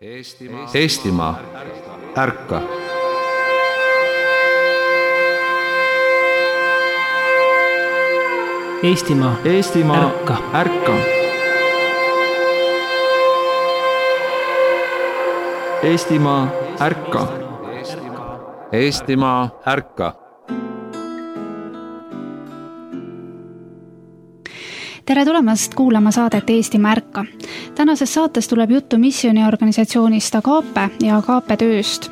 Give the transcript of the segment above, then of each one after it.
Eestimaa, ärka! Eestimaa, ärka! Ärka! Eestimaa, ärka! Eestimaa, ärka! Tere tulemast kuulama saadet Eestimaa ärka. Tänases saates tuleb juttu missiooniorganisatsioonist Agape ja Agape tööst.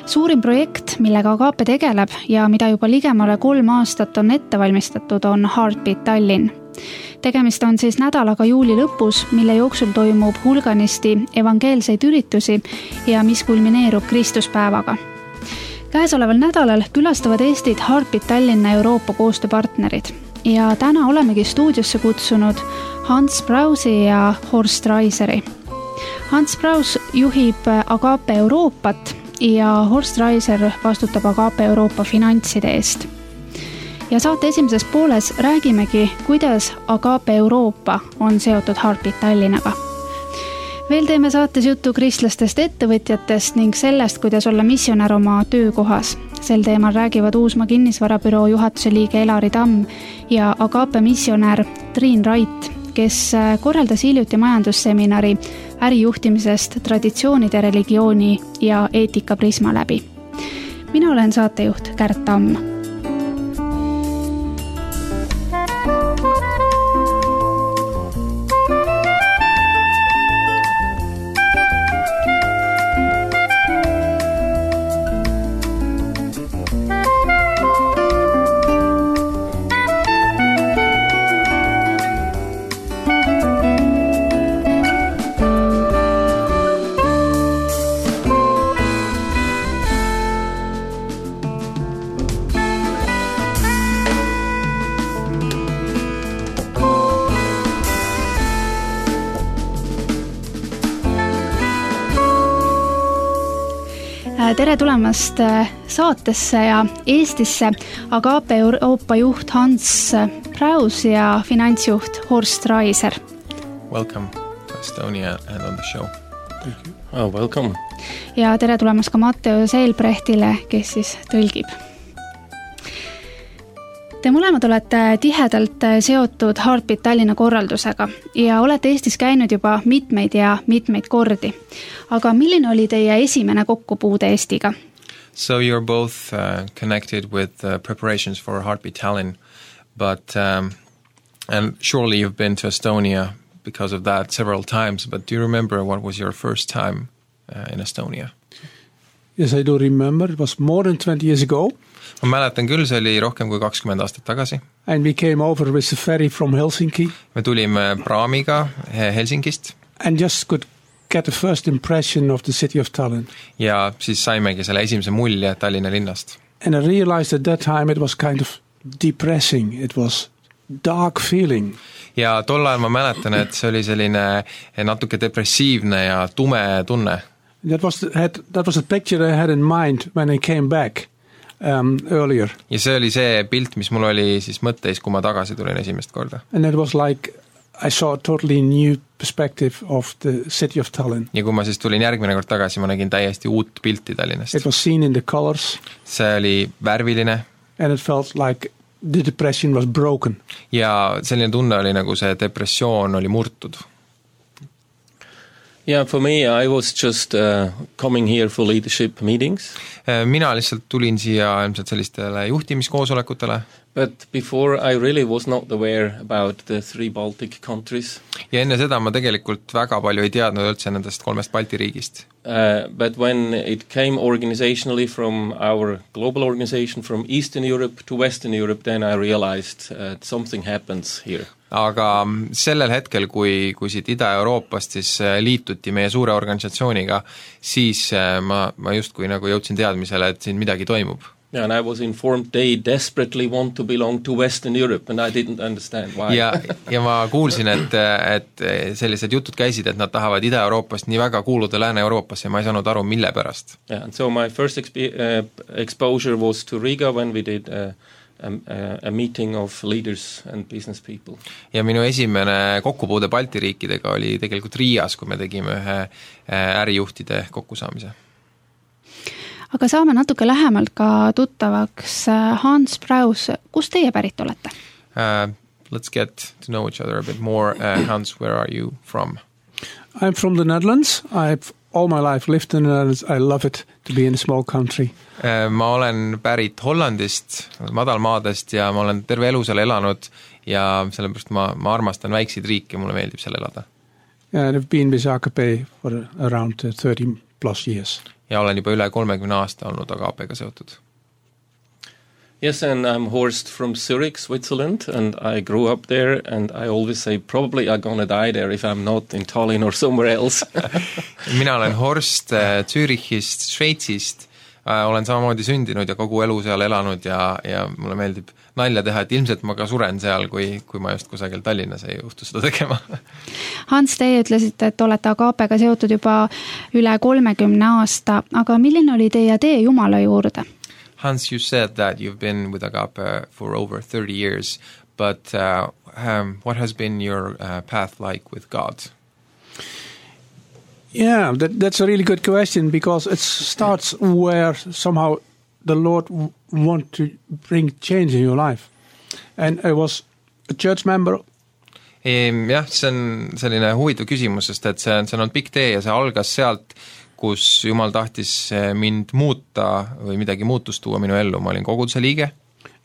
Suurim projekt, millega Agape tegeleb ja mida juba ligemale 3 aastat on ette valmistatud, on Heartbeat Tallinn. Tegemist on siis nädalaga juuli lõpus, mille jooksul toimub hulganisti evangeelseid üritusi ja mis kulmineerub Kristuspäevaga. Käesoleval nädalal külastavad Eestit Heartbeat Tallinna Euroopa koostööpartnerid. Ja täna olemegi stuudiosse kutsunud Hans Brausi ja Horst Raiseri. Hans Braus juhib Agape Euroopat ja Horst Raiser vastutab Agape Euroopa finantside eest. Ja saate esimeses pooles räägimegi, kuidas Agape Euroopa on seotud Heartbeat Tallinnaga. Veel teeme saates juttu kristlastest ettevõtjatest ning sellest, kuidas olla missionär oma töökohas. Sel teemal räägivad Uusmaa kinnisvarabüroo juhatuse liige Elari Tamm ja Agape missionär Triin Rait, kes korraldas hiljuti majandusseminari ärijuhtimisest traditsioonide, religiooni ja eetika prisma läbi. Mina olen saatejuht Kärt Tamm. Tere tulemast saatesse ja Eestisse Agape Euroopa juht Hans Braus ja finantsjuht Horst Raiser. Welcome to Estonia and on the show. Thank you. Oh, welcome. Ja tere tulemast ka Matteo Seelbrechtile, kes siis tõlgib. Te mõlemad olete tihedalt seotud Heartbeat Tallinna korraldusega ja olete Eestis käinud juba mitmeid kordi. Aga milline oli teie esimene kokkupuude Eestiga? So you're both connected with preparations for Heartbeat Tallinn, but and surely you've been to Estonia because of that several times, but do you remember what was your first time in Estonia? Yes, I do remember. It was more than 20 years ago. Ma mäletan küll, see oli rohkem kui 20 aastat tagasi. And we came over with the ferry from Helsinki. Me tulime praamiga Helsingist. And just could get the first impression of the city of Tallinn. Ja siis saimegi selle esimese mulje Tallinna linnast. And I realized at that time it was kind of depressing. It was dark feeling. Ja tol ajal ma mäletan, et see oli selline natuke depressiivne ja tume tunne. That was the picture I had in mind when I came back earlier. Ja see oli see pilt, mis mul oli siis mõtteis, kui ma tagasi tulin esimest korda. And it was like I saw a totally new perspective of the city of Tallinn. Ja kui ma siis tulin järgmine kord tagasi, ma nägin täiesti uut pilti Tallinnast. It was seen in the colors. See oli värviline. And it felt like the depression was broken. Ja selline tunne oli nagu see depressioon oli murtud. Yeah, for me, I was just coming here for leadership meetings. Mina lihtsalt tulin siia ilmselt sellistele juhtimiskoosolekutele. But before I really was not aware about the 3 Baltic countries. Ja enne seda ma tegelikult väga palju ei teadnud üldse nendest 3 Balti riigist. But when it came organizationally from our global organization from Eastern Europe to Western Europe, then I realized something happens here. Aga sellel hetkel, kui siit Ida-Euroopast siis liituti meie suure organisatsiooniga, siis ma justkui nagu jõudsin teadmisele, et siin midagi toimub. Yeah, and I was informed they desperately want to belong to Western Europe and I didn't understand why. Ja ma kuulsin, et sellised jutud käisid, et nad tahavad Ida-Euroopast nii väga kuuluda Lääne-Euroopasse ja ma ei saanud aru, mille pärast. Yeah, and so my first exposure was to Riga when we did a meeting of leaders and business people. Ja minu esimene kokkupuude Balti riikidega oli tegelikult Riias, kui me tegime ühe ärijuhtide kokkusaamise. Aga saame natuke lähemalt ka tuttavaks Hans Praus. Kust teie pärit olete? Let's get to know each other a bit more. Hans, where are you from? I'm from the Netherlands. I've all my life lived in the Netherlands. I love it to be in a small country. Ma olen pärit Hollandist, madalmaadest ja ma olen terve elu seal elanud ja sellepärast ma armastan väikseid riike, mulle meeldib seal elada. And I've been with AKP for around 30 plus years. Ja olen juba üle 30 aasta olnud AKP-ga seotud. Yes, and I'm Horst from Zurich, Switzerland, and I grew up there, and I always say probably I'm gonna die there if I'm not in Tallinn or somewhere else. Mina olen Horst Zürichist, Šveitsist, olen samamoodi sündinud ja kogu elu seal elanud ja mulle meeldib nalja teha, et ilmselt ma ka suren seal, kui ma just kusagil Tallinnas ei juhtu seda tegema. Hans, teie ütlesite, et olete AKP-ga seotud juba üle 30 aasta, aga milline oli teie tee Jumala juurde? Hans, you said that you've been with Agape for over 30 years, but what has been your path like with God? Yeah, that's a really good question because it starts where somehow the Lord want to bring change in your life. And I was a church member. Jah, see on selline huvitav küsimus, sest et see on pikk tee ja see algas sealt, kus Jumal tahtis mind muuta või midagi muutust tuua minu ellu. Ma olin koguduse liige.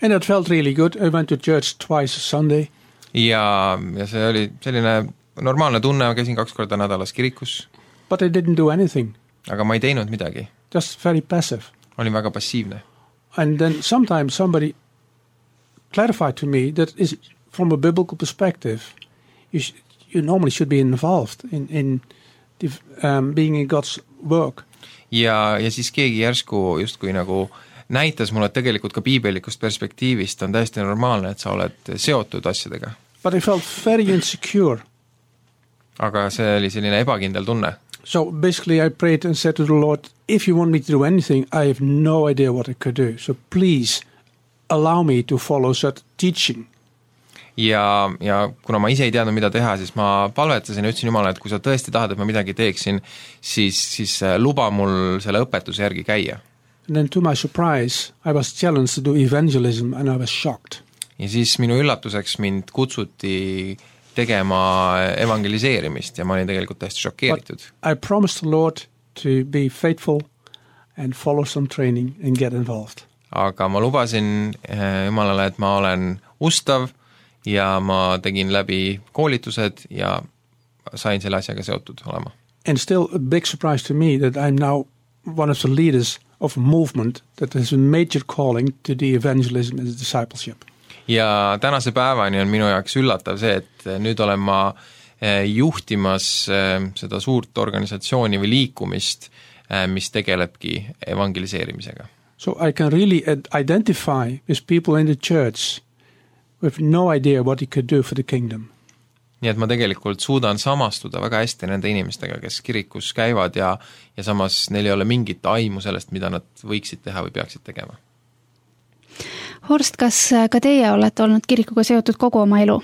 And it felt really good. I went to church twice a Sunday. Ja see oli selline normaalne tunne, ma käisin 2 korda nädalas kirikus. But I didn't do anything. Aga ma ei teinud midagi. Just very passive. Olin väga passiivne. And then sometimes somebody clarified to me that is from a biblical perspective, you normally should be involved in being in God's work. Ja siis keegi järsku justkui nagu näitas mulle, et tegelikult ka piibelikust perspektiivist on täiesti normaalne, et sa oled seotud asjadega. But I felt very insecure. Aga see oli selline ebakindel tunne. So basically I prayed and said to the Lord, if you want me to do anything, I have no idea what I could do. So please allow me to follow that teaching. Ja kuna ma ise ei teadnud, mida teha, siis ma palvetasin ja ütlesin Jumala, et kui sa tõesti tahad, et ma midagi teeksin, siis luba mul selle õpetuse järgi käia. And then to my surprise, I was challenged to do evangelism and I was shocked. Ja siis minu üllatuseks mind kutsuti tegema evangeliseerimist ja ma olin tegelikult täiesti šokeeritud. But I promised the Lord to be faithful and follow some training and get involved. Aga ma lubasin Jumalale, et ma olen ustav ja ma tegin läbi koolitused ja sain selle asjaga seotud olema. And still a big surprise to me that I'm now one of the leaders of a movement that has a major calling to the evangelism and the discipleship. Ja tänase päevani on minu jaoks üllatav see, et nüüd olen ma juhtimas seda suurt organisatsiooni või liikumist, mis tegelebki evangeliseerimisega. So I can really identify with people in the church with no idea what he could do for the kingdom. Nii et ma tegelikult suudan samastuda väga hästi nende inimestega, kes kirikus käivad ja samas neil ei ole mingit aimu sellest, mida nad võiksid teha või peaksid tegema. Horst, kas ka teie olete olnud kirikuga seotud kogu oma elu?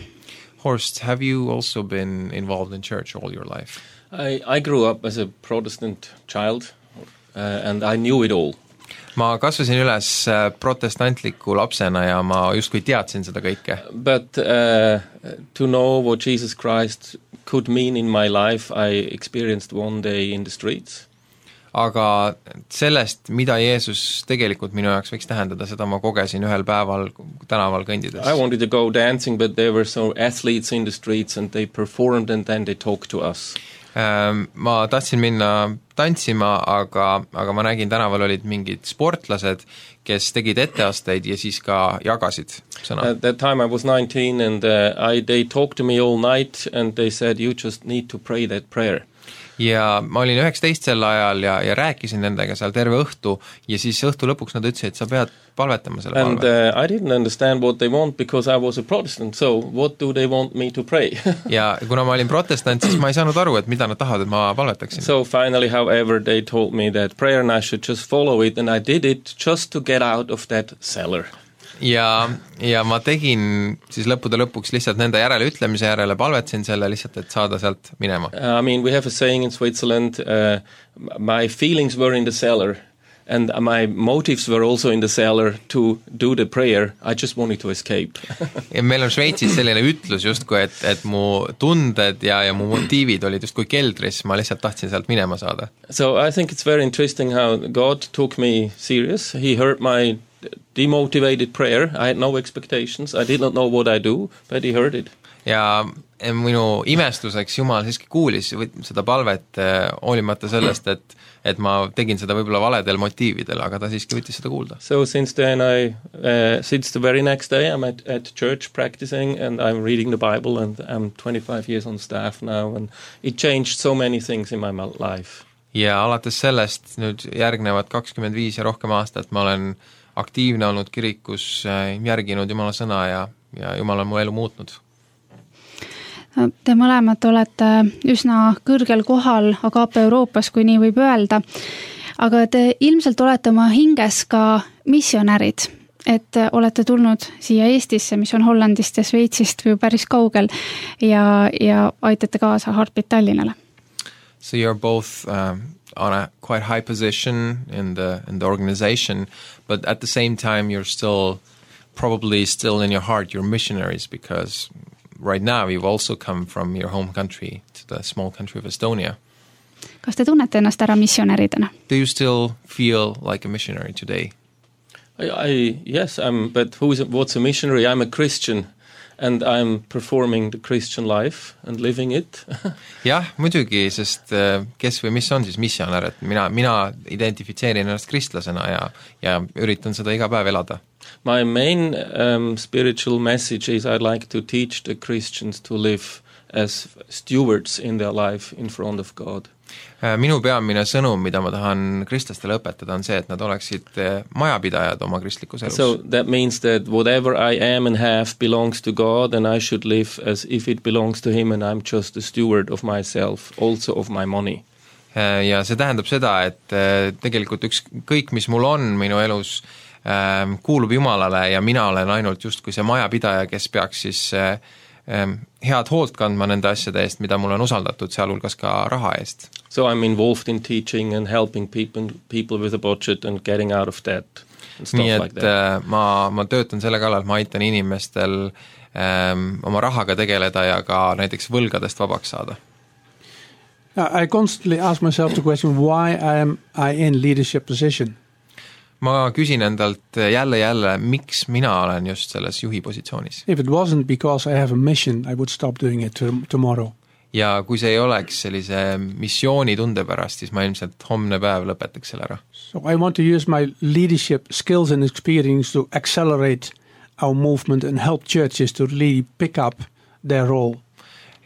Horst, have you also been involved in church all your life? I grew up as a Protestant child and I knew it all. Ma kasvasin üles protestantliku lapsena ja ma justkui teadsin seda kõike. But to know what Jesus Christ could mean in my life, I experienced one day in the streets. Aga sellest, mida Jeesus tegelikult minu jaoks võiks tähendada, seda ma kogesin ühel päeval tänaval kõndides. I wanted to go dancing, but there were some athletes in the streets and they performed and then they talked to us. Ma tahtsin minna tantsima, aga ma nägin tänaval olid mingid sportlased, kes tegid etteasteid ja siis ka jagasid sõna. At that time I was 19 and they talked to me all night and they said you just need to pray that prayer. Ja ma olin 19 sel ajal ja rääkisin nendega seal terve õhtu ja siis õhtu lõpuks nad ütlesid, et sa pead palvetama selle palve. And I didn't understand what they want because I was a Protestant, so what do they want me to pray? Ja kuna ma olin protestant, siis ma ei saanud aru, et mida nad tahavad, et ma palvetaksin. So finally, however, they told me that prayer and I should just follow it and I did it just to get out of that cellar. ja ma tegin siis lõppude lõpuks lihtsalt nende järele ütlemise järele, palvetasin selle lihtsalt, et saada sealt minema. I mean, we have a saying in Switzerland, my feelings were in the cellar. And my motives were also in the cellar to do the prayer. I just wanted to escape. Ja meil on Šveitsis selline ütlus justku, et mu tunded ja mu motiivid olid justku keldris, ma lihtsalt tahtsin sealt minema saada. So I think it's very interesting how God took me serious. He heard my demotivated prayer. I had no expectations. I did not know what I do, but he heard it. Ja minu imestuseks Jumal siiski kuulis seda palvet hoolimata sellest, et ma tegin seda võib-olla valedel motiividel, aga ta siiski võttis seda kuulda. So since then since the very next day I'm at church practicing and I'm reading the Bible and I'm 25 years on staff now and it changed so many things in my life. Ja alates sellest nüüd järgnevad 25 ja rohkem aastat ma olen aktiivne olnud kirikus, järginud Jumala sõna ja Jumal on mu elu muutnud. Te mõlemad olete üsna kõrgel kohal Agape Euroopas, kui nii võib öelda, aga te ilmselt olete oma hinges ka missionärid, et olete tulnud siia Eestisse, mis on Hollandist ja Šveitsist või päris kaugel ja aitate kaasa Heartbeat Tallinnale. So you're both on a quite high position in the organization, but at the same time you're probably still in your heart, you're missionaries because right now you've also come from your home country to the small country of Estonia. Kas te tunnete ennast ära missionäridena? Do you still feel like a missionary today? Yes, but what's a missionary? I'm a Christian and I'm performing the Christian life and living it. Jah, muidugi, sest kes või mis on siis missionär, et mina identifitseerin ennast kristlasena ja üritan seda iga päev elada. My main spiritual message is I'd like to teach the Christians to live as stewards in their life in front of God. Minu peamine sõnum, mida ma tahan kristlastele õpetada, on see, et nad oleksid majapidajad oma kristlikus elus. So that means that whatever I am and have belongs to God and I should live as if it belongs to Him and I'm just a steward of myself, also of my money. Ja see tähendab seda, et tegelikult kõik, mis mul on minu elus, kuulub Jumalale ja mina olen ainult justkui see majapidaja, kes peaks siis head hoolt kandma nende asjade eest, mida mul on usaldatud, sealhulgas ka raha eest. So I'm involved in teaching and helping people with a budget and getting out of debt and stuff nii like that. Ma töötan selle kallal, et ma aitan inimestel oma rahaga tegeleda ja ka näiteks võlgadest vabaks saada. I constantly ask myself the question, why am I in leadership position? Ma küsin endalt jälle, miks mina olen just selles juhi positsioonis. If it wasn't because I have a mission, I would stop doing it tomorrow. Ja kui see ei oleks sellise missiooni tunde pärast, siis ma ilmselt homne päev lõpetaks selle ära. So I want to use my leadership skills and experience to accelerate our movement and help churches to really pick up their role.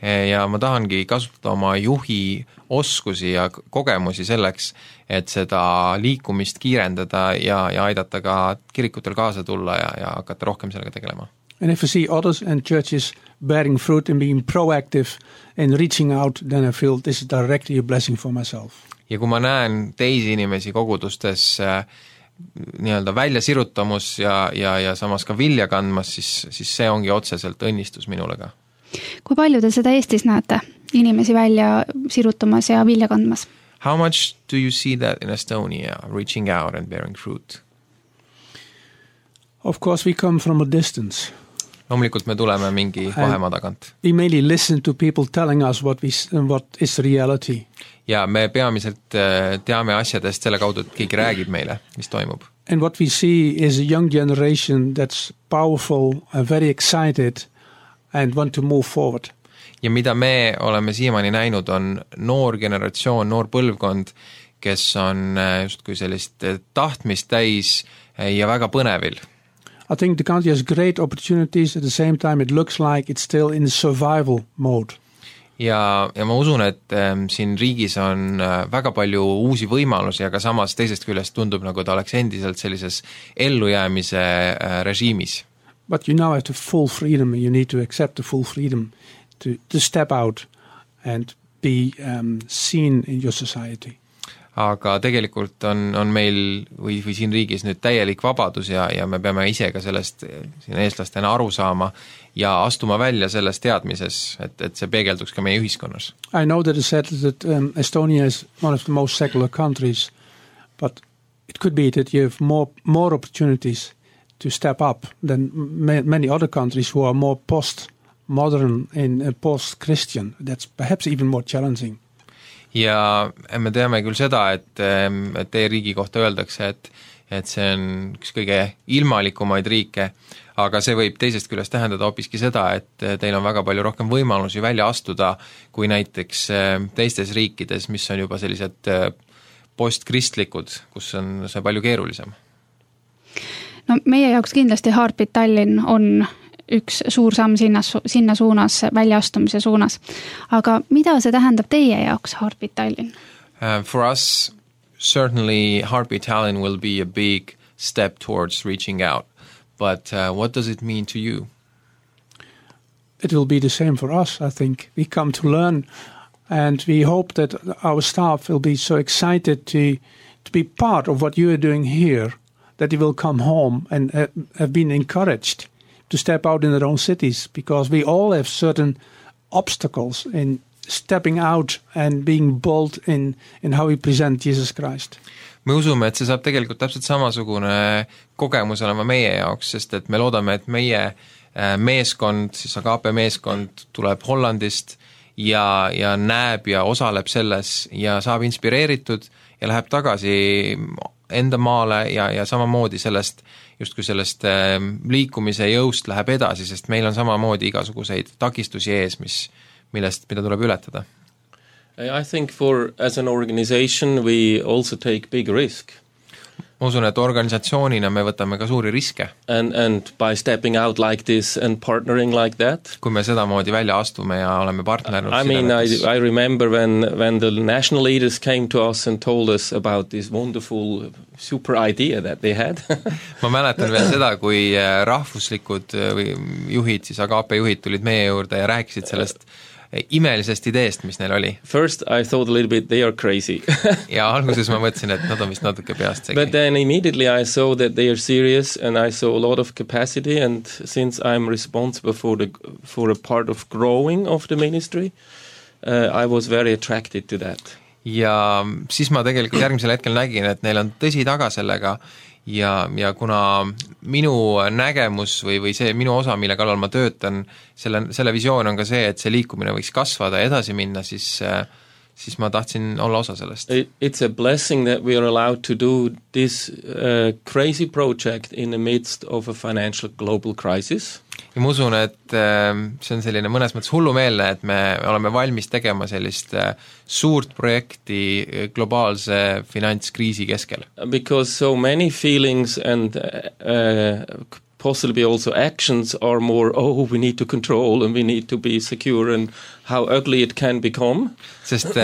Ja ma tahangi kasutada oma juhi oskusi ja kogemusi selleks, et seda liikumist kiirendada ja aidata ka kirikutel kaasa tulla ja hakata rohkem sellega tegelema. And if I see others and churches bearing fruit and being proactive and reaching out, then I feel this is directly a blessing for myself. Ja kui ma näen teisi inimesi kogudustes nii-öelda välja sirutamus ja samas ka vilja kandmas, siis see ongi otseselt õnnistus minule ka. Kui palju te seda Eestis näete, inimesi välja sirutamas ja vilja kandmas? How much do you see that in Estonia, reaching out and bearing fruit? Of course, we come from a distance. Loomulikult me tuleme mingi vahemaa tagant. We mainly listen to people telling us what is reality. Ja me peamiselt teame asjadest selle kaudu, et keegi räägib meile, mis toimub. And what we see is a young generation that's powerful and very excited and want to move forward. Ja mida me oleme siiamaani näinud on noor generatsioon, noor põlvkond, kes on justkui sellist tahtmist täis ja väga põnevil. I think the country has great opportunities, at the same time it looks like it's still in survival mode. Ja ma usun, et siin riigis on väga palju uusi võimalusi, aga samas teisest küljest tundub, nagu ta oleks endiselt sellises ellujäämise režiimis. But you now have the full freedom, you need to accept the full freedom to step out and be seen in your society. aga tegelikult on meil või siin riigis nüüd täielik vabadus ja me peame ise ka sellest siin eestlastena aru saama ja astuma välja selles teadmises, et see peegelduks ka meie ühiskonnas. I know that it's said that Estonia is one of the most secular countries, but it could be that you have more opportunities to step up than many other countries who are more post-modern and post-Christian. That's perhaps even more challenging. Ja me teame küll seda, et teie riigi kohta öeldakse, et see on üks kõige ilmalikumaid riike, aga see võib teisest küljest tähendada hoopiski seda, et teil on väga palju rohkem võimalusi välja astuda kui näiteks teistes riikides, mis on juba sellised postkristlikud, kus on see palju keerulisem. No meie jaoks kindlasti Heartbeat Tallinn on üks suur samm sinna suunas, väljaastumise suunas. Aga mida see tähendab teie jaoks Heartbeat Tallinn? For us, certainly Heartbeat Tallinn will be a big step towards reaching out. But what does it mean to you? It will be the same for us, I think. We come to learn and we hope that our staff will be so excited to be part of what you are doing here, that they will come home and have been encouraged to step out in their own cities, because we all have certain obstacles in stepping out and being bold in how we present Jesus Christ. Me usume, et see saab tegelikult täpselt samasugune kogemus olema meie jaoks, sest et me loodame, et meie meeskond, siis Agape meeskond tuleb Hollandist ja näeb ja osaleb selles ja saab inspireeritud ja läheb tagasi enda maale ja samamoodi sellest liikumise jõust läheb edasi, sest meil on samamoodi igasuguseid takistusi ees, mida tuleb ületada. I think as an organization we also take big risk. Ma usun, et organisatsioonina me võtame ka suuri riske. And by stepping out like this and partnering like that. Kui me sedamoodi välja astume ja oleme partnerid. I remember when the national leaders came to us and told us about this wonderful super idea that they had. Ma mäletan veel seda, kui rahvuslikud juhid, siis Agape juhid tulid meie juurde ja rääkisid sellest imelisest ideest, mis neil oli. First I thought a little bit they are crazy. Ja alguses ma mõtlesin, et nad on vist natuke peast segi. But then immediately I saw that they are serious and I saw a lot of capacity, and since I'm responsible for a part of growing of the ministry, I was very attracted to that. Ja siis ma tegelikult järgmisel hetkel nägin, et neil on tõsi taga sellega ja kuna minu nägemus või see minu osa, mille kallal ma töötan, selle visioon on ka see, et see liikumine võiks kasvada ja edasi minna, siis ma tahtsin olla osa sellest. It's a blessing that we are allowed to do this crazy project in the midst of a financial global crisis. Ja ma usun, et see on selline mõnes mõttes hullumeelne, et me oleme valmis tegema sellist suurt projekti globaalse finantskriisi keskel. Because so many feelings and possibly also actions are more, we need to control and we need to be secure and how ugly it can become. Sest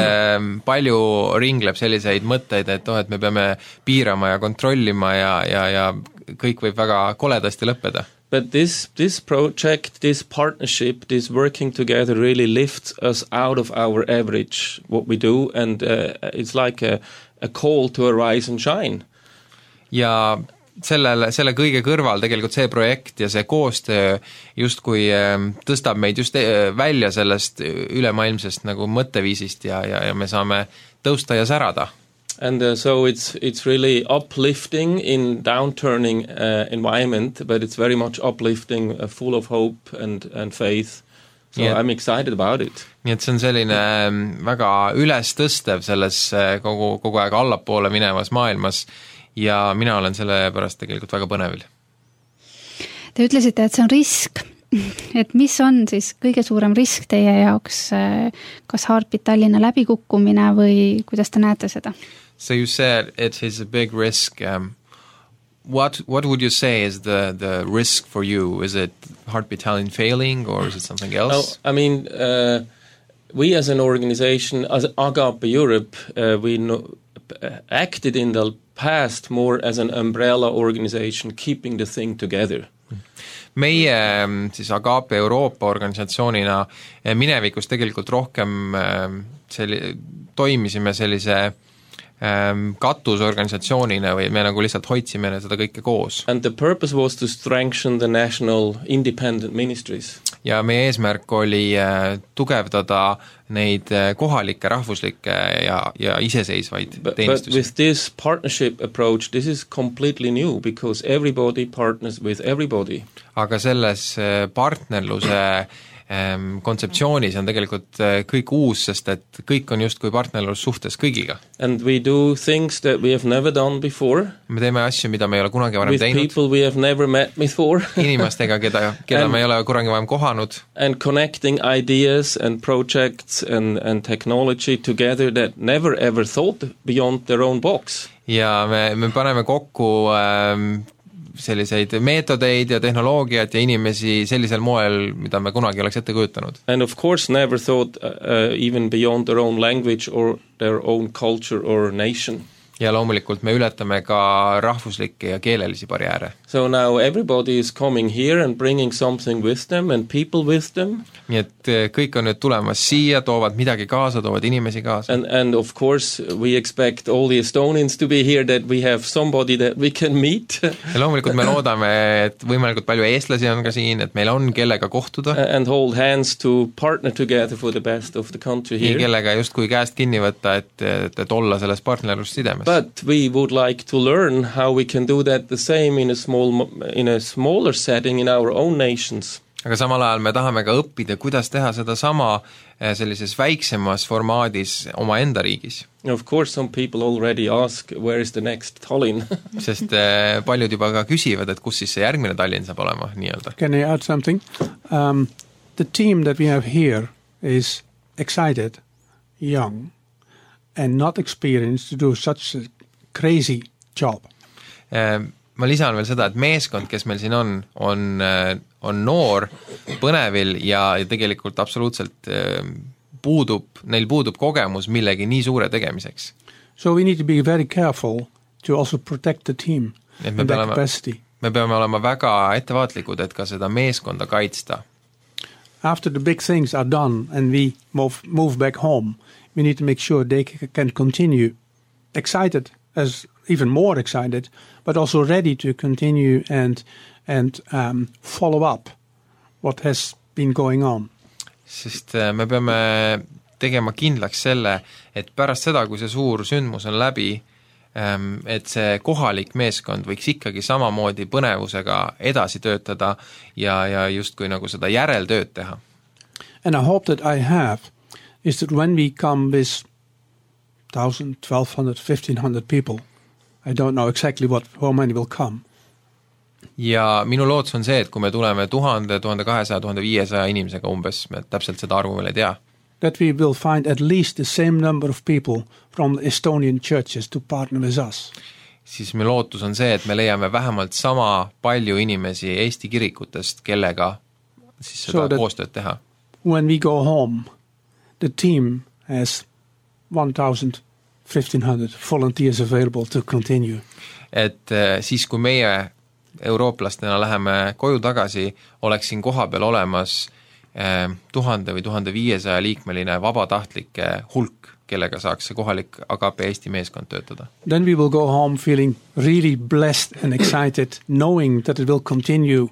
palju ringleb selliseid mõtteid, et et me peame piirama ja kontrollima ja kõik võib väga koledasti lõppeda. But this project, this partnership, this working together really lifts us out of our average, what we do, and it's like a call to arise and shine. Ja selle kõige kõrval tegelikult see projekt ja see koostöö justkui tõstab meid just välja sellest ülemaailmsest nagu mõtteviisist ja me saame tõusta ja särada. And so it's really uplifting in downturning environment, but it's very much uplifting, full of hope and faith. So I'm excited about it. Nii et see on selline väga üles tõstev selles kogu aeg allapoole minevas maailmas ja mina olen selle pärast tegelikult väga põnevil. Te ütlesite, et see on risk. Et mis on siis kõige suurem risk teie jaoks, kas Heartbeat Tallinna läbikukkumine või kuidas te näete seda? So you said it is a big risk. What would you say is the risk for you? Is it Heartbeat Tallinn failing or is it something else? No, I mean, we as an organization, as Agape Europe, we acted in the past more as an umbrella organization keeping the thing together. Meie siis Agape Euroopa organisatsioonina minevikus tegelikult rohkem toimisime sellise katusorganisatsioonina või me nagu lihtsalt hoidsime seda kõike koos. And the purpose was to strengthen the national independent ministries. Ja meie eesmärk oli tugevdada neid kohalikke, rahvuslikke ja iseseisvaid teenistusi. But with this partnership approach, this is completely new because everybody partners with everybody. Aga selles partnerluse kontseptsioonis on tegelikult kõik uus, sest et kõik on justkui partnerlussuhtes kõigiga. And we do things that we have never done before. Me teeme asju, mida me ei ole kunagi varem teinud. With people we have never met before. Inimestega, keda me ei ole kunagi varem kohanud. And connecting ideas and projects and technology together that never ever thought beyond their own box. Ja me paneme kokku selliseid meetodeid ja tehnoloogiat ja inimesi sellisel moel, mida me kunagi oleks ette kujutanud. And of course never thought even beyond their own language or their own culture or nation. Ja loomulikult me ületame ka rahvuslikke ja keelelisi barjääre. So now everybody is coming here and bringing something with them and people with them. Nii et kõik on nüüd tulemas siia, toovad midagi kaasa, toovad inimesi kaasa. And of course we expect all the Estonians to be here, that we have somebody that we can meet. Ja loomulikult me loodame, et võimalikult palju eestlasi on ka siin, et meil on kellega kohtuda. And hold hands to partner together for the best of the country here. Nii kellega justkui käest kinni võtta, et olla selles partnerlussidemes. But we would like to learn how we can do that the same in a smaller setting in our own nations. Aga samal ajal me tahame ka õppida, kuidas teha seda sama sellises väiksemas formaadis oma enda riigis. Of course some people already ask where is the next Tallinn. Sest paljud juba ka küsivad, et kus siis see järgmine Tallinn saab olema nii-öelda. Can I add something? The team that we have here is excited, young and not experienced to do such a crazy job. Ma lisan veel seda, et meeskond, kes meil siin on noor, põnevil ja tegelikult absoluutselt neil puudub kogemus millegi nii suure tegemiseks. So we need to be very careful to also protect the team and their capacity. Me peame olema väga ettevaatlikud, et ka seda meeskonda kaitsta. After the big things are done and we move back home, we need to make sure they can continue excited, as even more excited, but also ready to continue and follow up what has been going on. Sest me peame tegema kindlaks selle, et pärast seda, kui see suur sündmus on läbi, et see kohalik meeskond võiks ikkagi samamoodi põnevusega edasi töötada ja justkui nagu seda järeltööd teha. And I hope that I have is that when we come with 1,000, 1,200, 1,500 people, I don't know exactly how many will come. Ja minu lootus on see, et kui me tuleme 1000, 1200, 1500 inimesega umbes, me täpselt seda arvu veel ei tea. That we will find at least the same number of people from the Estonian churches to partner with us. Siis me lootus on see, et me leiame vähemalt sama palju inimesi Eesti kirikutest, kellega siis seda koostööd teha. When we go home, the team has 1,000, 1,500 volunteers available to continue. Et siis, kui meie eurooplastena läheme koju tagasi, oleks siin koha peal olemas 1000 või 1500 liikmeline vabatahtlike hulk, kellega saaks see kohalik Agape Eesti meeskond töötada. Then we will go home feeling really blessed and excited, knowing that it will continue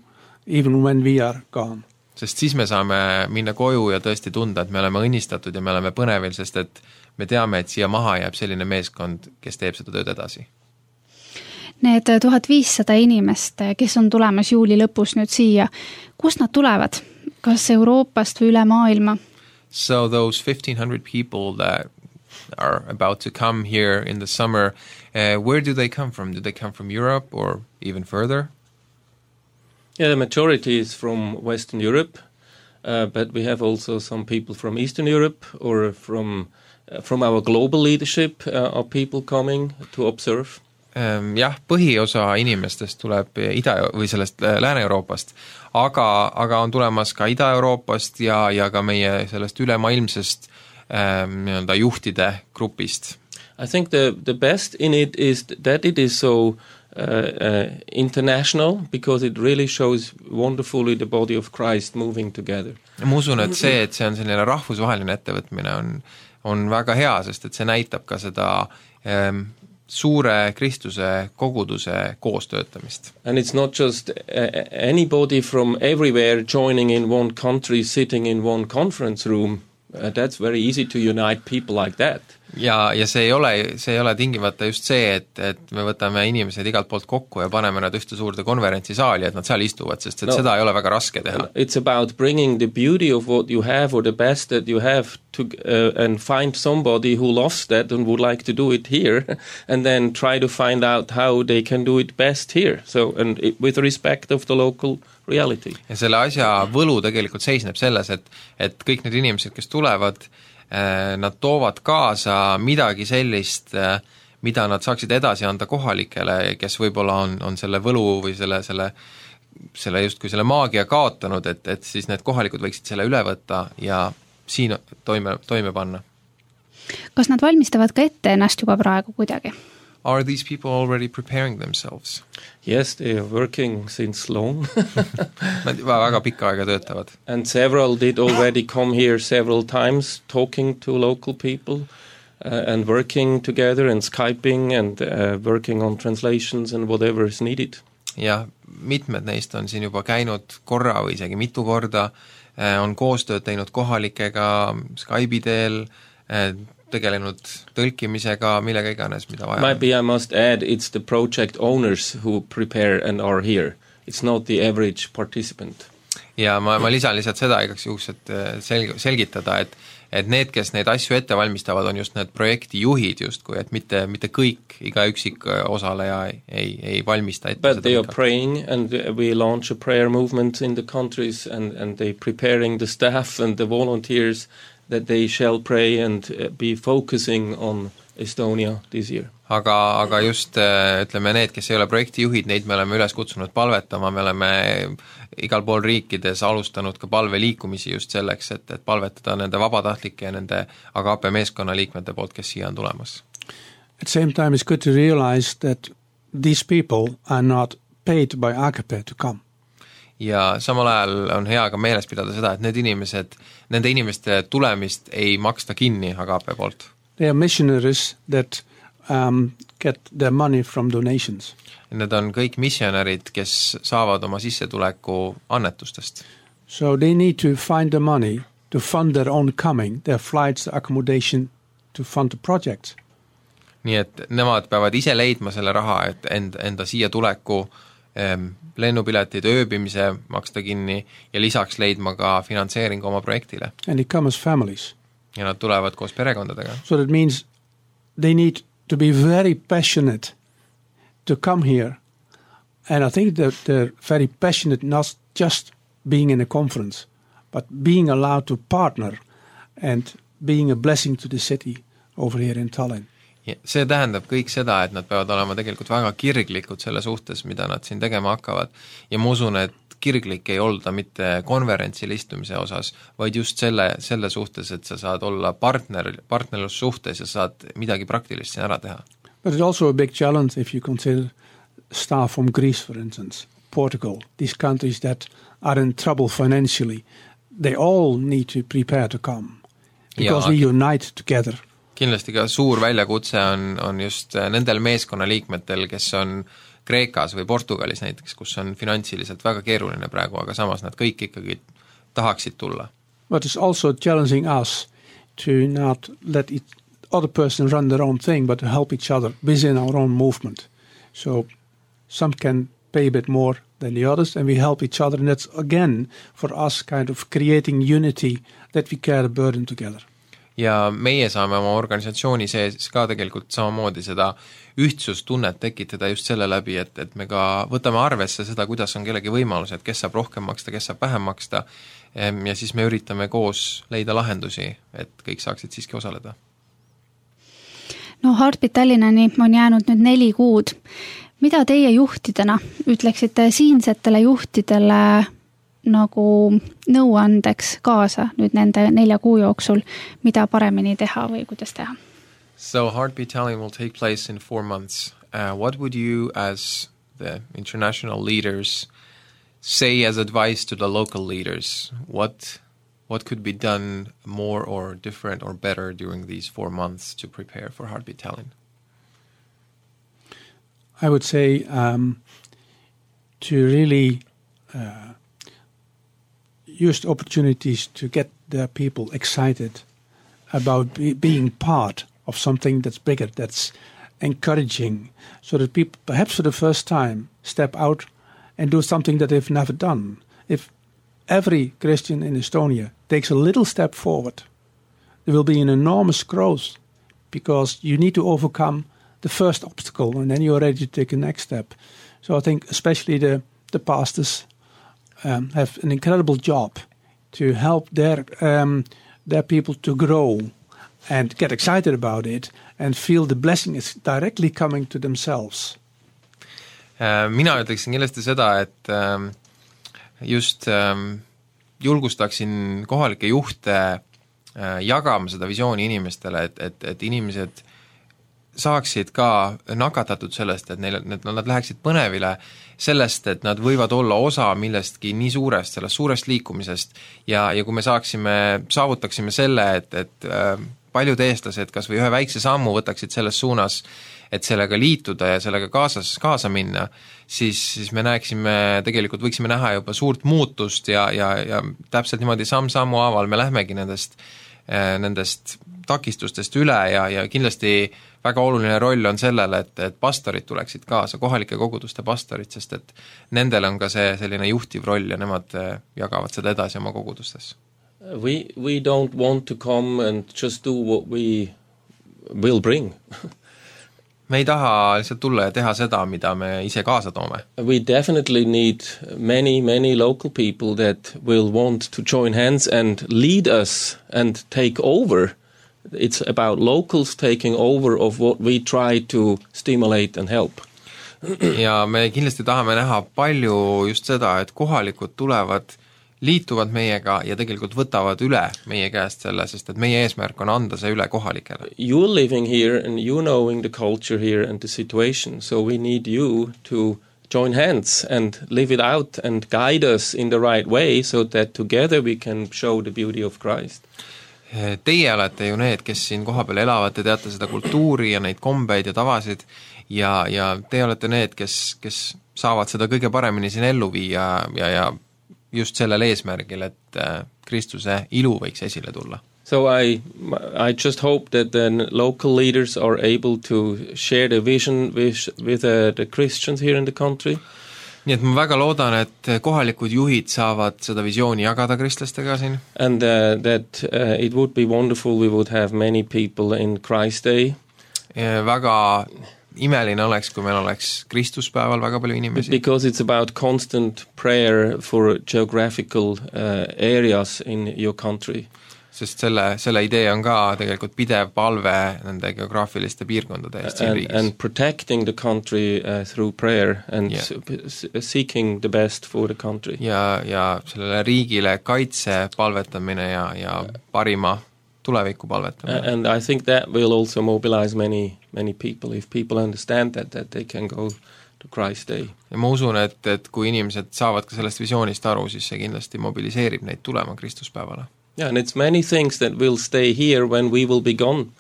even when we are gone. Sest siis me saame minna koju ja tõesti tunda, et me oleme õnnistatud ja me oleme põnevil, sest et me teame, et siia maha jääb selline meeskond, kes teeb seda tööd edasi. Need 1500 inimest, kes on tulemas juuli lõpus nüüd siia, kust nad tulevad? Kas Euroopast või üle maailma? So those 1,500 people that are about to come here in the summer, where do they come from? Do they come from Europe or even further? Yeah, the majority is from Western Europe, but we have also some people from Eastern Europe or from our global leadership are people coming to observe. Jah, põhiosa inimestest tuleb või sellest Lääne-Euroopast, aga on tulemas ka Ida-Euroopast ja ka meie sellest ülemaailmsest juhtide grupist. I think the best in it is that it is so international, because it really shows wonderfully the body of Christ moving together. Ma usun, et see on selline rahvusvaheline ettevõtmine on väga hea, sest et see näitab ka seda suure kristluse koguduse koostöötamist. And it's not just anybody from everywhere joining in one country, sitting in one conference room. That's very easy to unite people like that. Ja see ei ole tingimata just see, et me võtame inimesed igalt poolt kokku ja paneme nad ühte suurde konverentsisaali, et nad seal istuvad, sest et seda ei ole väga raske teha. It's about bringing the beauty of what you have or the best that you have to, and find somebody who loves that and would like to do it here and then try to find out how they can do it best here. So, and with respect of the local reality. Ja selle asja võlu tegelikult seisneb selles, et kõik need inimesed, kes tulevad, nad toovad kaasa midagi sellist, mida nad saaksid edasi anda kohalikele, kes võib-olla on selle võlu või selle justkui selle maagia kaotanud, et siis need kohalikud võiksid selle üle võtta ja siin toime panna. Kas nad valmistavad ka ette ennast juba praegu kuidagi? Are these people already preparing themselves? Yes, they are working since long. Nad väga pikka aega töötavad. And several did already come here several times talking to local people and working together and Skyping and working on translations and whatever is needed. Ja mitmed neist on siin juba käinud korra või isegi mitu korda, on koostööd teinud kohalikega Skype'i teel, tegelenud tõlkimisega, millega iganes, mida vaja. Maybe I must add, it's the project owners who prepare and are here. It's not the average participant. Ja ma lisan lihtsalt seda igaks juhuks, et selgitada, et need, kes neid asju ette valmistavad, on just need projektijuhid justkui, et mitte kõik, iga üksik osaleja ei valmista ette. But they are praying and we launch a prayer movement in the countries and they preparing the staff and the volunteers that they shall pray and be focusing on Estonia this year. Aga just ütleme need, kes ei ole projektijuhid, neid me oleme üles kutsunud palvetama, me oleme igal pool riikides alustanud ka palveliikumisi just selleks, et palvetada nende vabatahtlike ja nende Agape meeskonna liikmete poolt, kes siia on tulemas. At the same time, it's good to realize that these people are not paid by Agape to come. Ja samal ajal on hea ka meeles pidada seda, et nende inimeste tulemist ei maksta kinni Agape poolt. They are missionaries that get their money from donations. Need on kõik missionärid, kes saavad oma sissetuleku annetustest. So they need to find the money to fund their own coming, their flights, their accommodation, to fund the project. Nii et nemad peavad ise leidma selle raha, et enda siia tuleku lennupiletid, ööbimise maksta kinni ja lisaks leidma ka finantseeringu oma projektile. And they come as families. Ja nad tulevad koos perekondadega. So that means they need to be very passionate to come here. And I think that they're very passionate not just being in a conference, but being allowed to partner and being a blessing to the city over here in Tallinn. Ja see tähendab kõik seda, et nad peavad olema tegelikult väga kirglikud selle suhtes, mida nad siin tegema hakkavad. Ja ma usun, et kirglik ei olda mitte konverentsil istumise osas, vaid just selle suhtes, et sa saad olla partnerlus suhtes ja saad midagi praktilist siin ära teha. But it's also a big challenge if you consider staff from Greece, for instance, Portugal, these countries that are in trouble financially. They all need to prepare to come because we unite together. Kindlasti ka suur väljakutse on just nendel meeskonnaliikmetel, kes on Kreekas või Portugalis näiteks, kus on finantsiliselt väga keeruline praegu, aga samas nad kõik ikkagi tahaksid tulla. But it's also challenging us to not let other person run their own thing, but to help each other within our own movement. So some can pay a bit more than the others, and we help each other, and that's again for us kind of creating unity that we carry the burden together. Ja meie saame oma organisatsiooni sees ka tegelikult samamoodi seda ühtsustunnet tekitada just selle läbi, et me ka võtame arvesse seda, kuidas on kellegi võimalus, et kes saab rohkem maksta, kes saab vähem maksta ja siis me üritame koos leida lahendusi, et kõik saaksid siiski osaleda. No Heartbeat Tallinnani on jäänud nüüd 4 kuud. Mida teie juhtidena ütleksite siinsetele juhtidele nagu nõuandeks kaasa nüüd nende 4 kuu jooksul, mida paremini teha või kuidas teha? So Heartbeat Tallinn will take place in 4 months. What would you as the international leaders say as advice to the local leaders? What what could be done more or different or better during these 4 months to prepare for Heartbeat Tallinn? I would say to really use the opportunities to get the people excited about being part of something that's bigger, that's encouraging, so that people, perhaps for the first time, step out and do something that they've never done. If every Christian in Estonia takes a little step forward, there will be an enormous growth, because you need to overcome the first obstacle and then you're ready to take the next step. So I think especially the pastors have an incredible job to help their people to grow and get excited about it and feel the blessing is directly coming to themselves. Mina ütleksin kindlasti seda, et just julgustaksin kohalikke juhte jagama seda visiooni inimestele, et inimesed saaksid ka nakatatud sellest, et nad läheksid põnevile sellest, et nad võivad olla osa millestki nii suurest, sellest suurest liikumisest ja kui me saavutaksime selle, et paljud eestlased kas või ühe väikse sammu võtaksid selles suunas, et sellega liituda ja sellega kaasa minna, siis me tegelikult võiksime näha juba suurt muutust ja täpselt niimoodi samm-sammu haaval me lähmegi nendest takistustest üle ja kindlasti väga oluline roll on sellele, et pastorid tuleksid kaasa, kohalike koguduste pastorid, sest et nendel on ka see selline juhtiv roll ja nemad jagavad seda edasi oma kogudustes. We don't want to come and just do what we will bring. Me ei taha lihtsalt tulla ja teha seda, mida me ise kaasa toome. We definitely need many local people that will want to join hands and lead us and take over. It's about locals taking over of what we try to stimulate and help. Ja me kindlasti tahame näha palju just seda, et kohalikud liituvad meiega ja tegelikult võtavad üle meie käest selle, sest et meie eesmärk on anda see üle kohalikele. You're living here and you knowing the culture here and the situation, so we need you to join hands and live it out and guide us in the right way so that together we can show the beauty of Christ. Teie olete ju need, kes siin kohapeal elavad, te teate seda kultuuri ja neid kombeid ja tavasid ja te olete need, kes saavad seda kõige paremini siin ellu viia ja just sellel eesmärgil, et Kristuse ilu võiks esile tulla. So I just hope that the local leaders are able to share the vision with the Christians here in the country. Nii et ma väga loodan, et kohalikud juhid saavad seda visiooni jagada kristlastega siin. And that it would be wonderful we would have many people in Christ Day. Väga imeline oleks, kui meil oleks Kristuspäeval väga palju inimesi. Because it's about constant prayer for geographical areas in your country. Sest selle idee on ka tegelikult pidev palve nende geograafiliste piirkondade eest siin riigis. And protecting the country through prayer and seeking the best for the country. Ja sellele riigile kaitse palvetamine ja parima tuleviku palvetamine. And I think that will also mobilize many people if people understand that they can go to Christ Day. Ja ma usun, et kui inimesed saavad ka sellest visioonist aru, siis see kindlasti mobiliseerib neid tulema Kristuspäevale. Yeah, and it's many things that will stay here when we will be gone,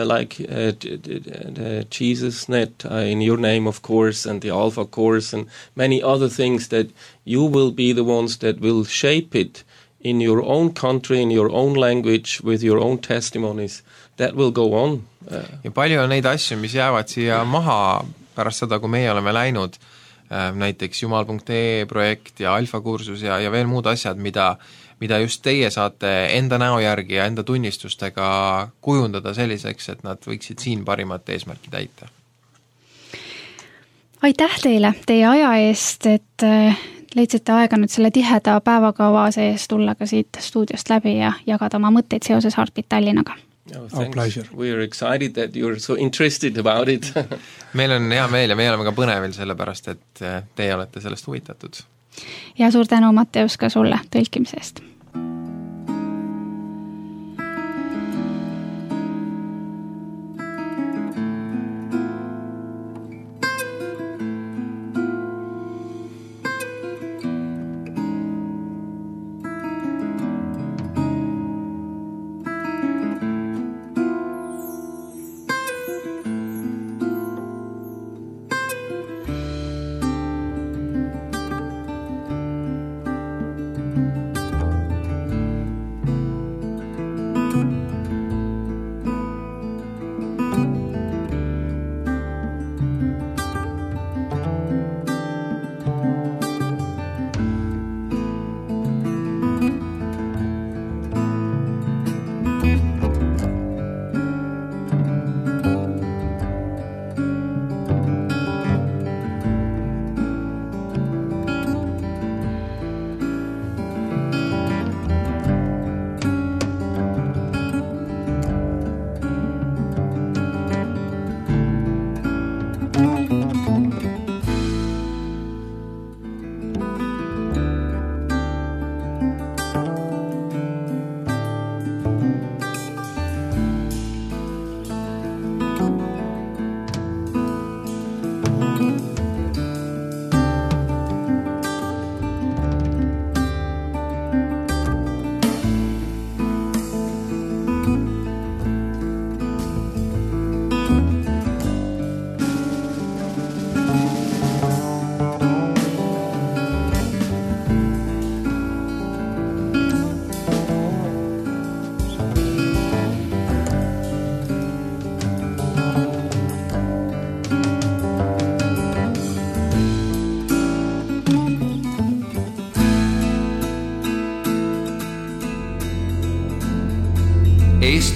like the Jesus Net in your name, of course, and the Alpha course, and many other things that you will be the ones that will shape it in your own country, in your own language, with your own testimonies. That will go on. Ja palju on neid asju, mis jäävad siia maha pärast seda, kui meie oleme läinud, näiteks jumal.ee projekt ja Alfa kursus ja veel muud asjad, mida just teie saate enda näo järgi ja enda tunnistustega kujundada selliseks, et nad võiksid siin parimat eesmärki täita. Aitäh teile teie aja eest, et leidsite aega nüüd selle tiheda päevakava sees tulla ka siit stuudiost läbi ja jagada oma mõtteid seoses Heartbeat Tallinnaga. Our pleasure. We are excited that you are so interested about it. Meil on hea meel ja me oleme ka põnevil sellepärast, et teie olete sellest huvitatud. Ja suur tänu, Matteus, ka sulle tõlkimise eest.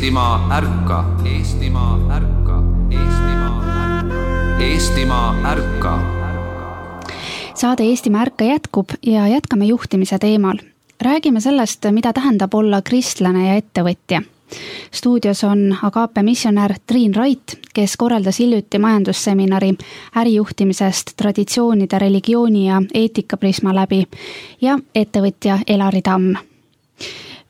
Eestimaa ärka, Eestimaa ärka, Eestimaa ärka, Eestimaa ärka. Saade Eestimaa ärka jätkub ja jätkame juhtimise teemal. Räägime sellest, mida tähendab olla kristlane ja ettevõtja. Stuudios on Agape missionär Triin Rait, kes korraldas hiljuti majandusseminari ärijuhtimisest traditsioonide, religiooni ja eetikaprisma läbi ja ettevõtja Elari Tamm.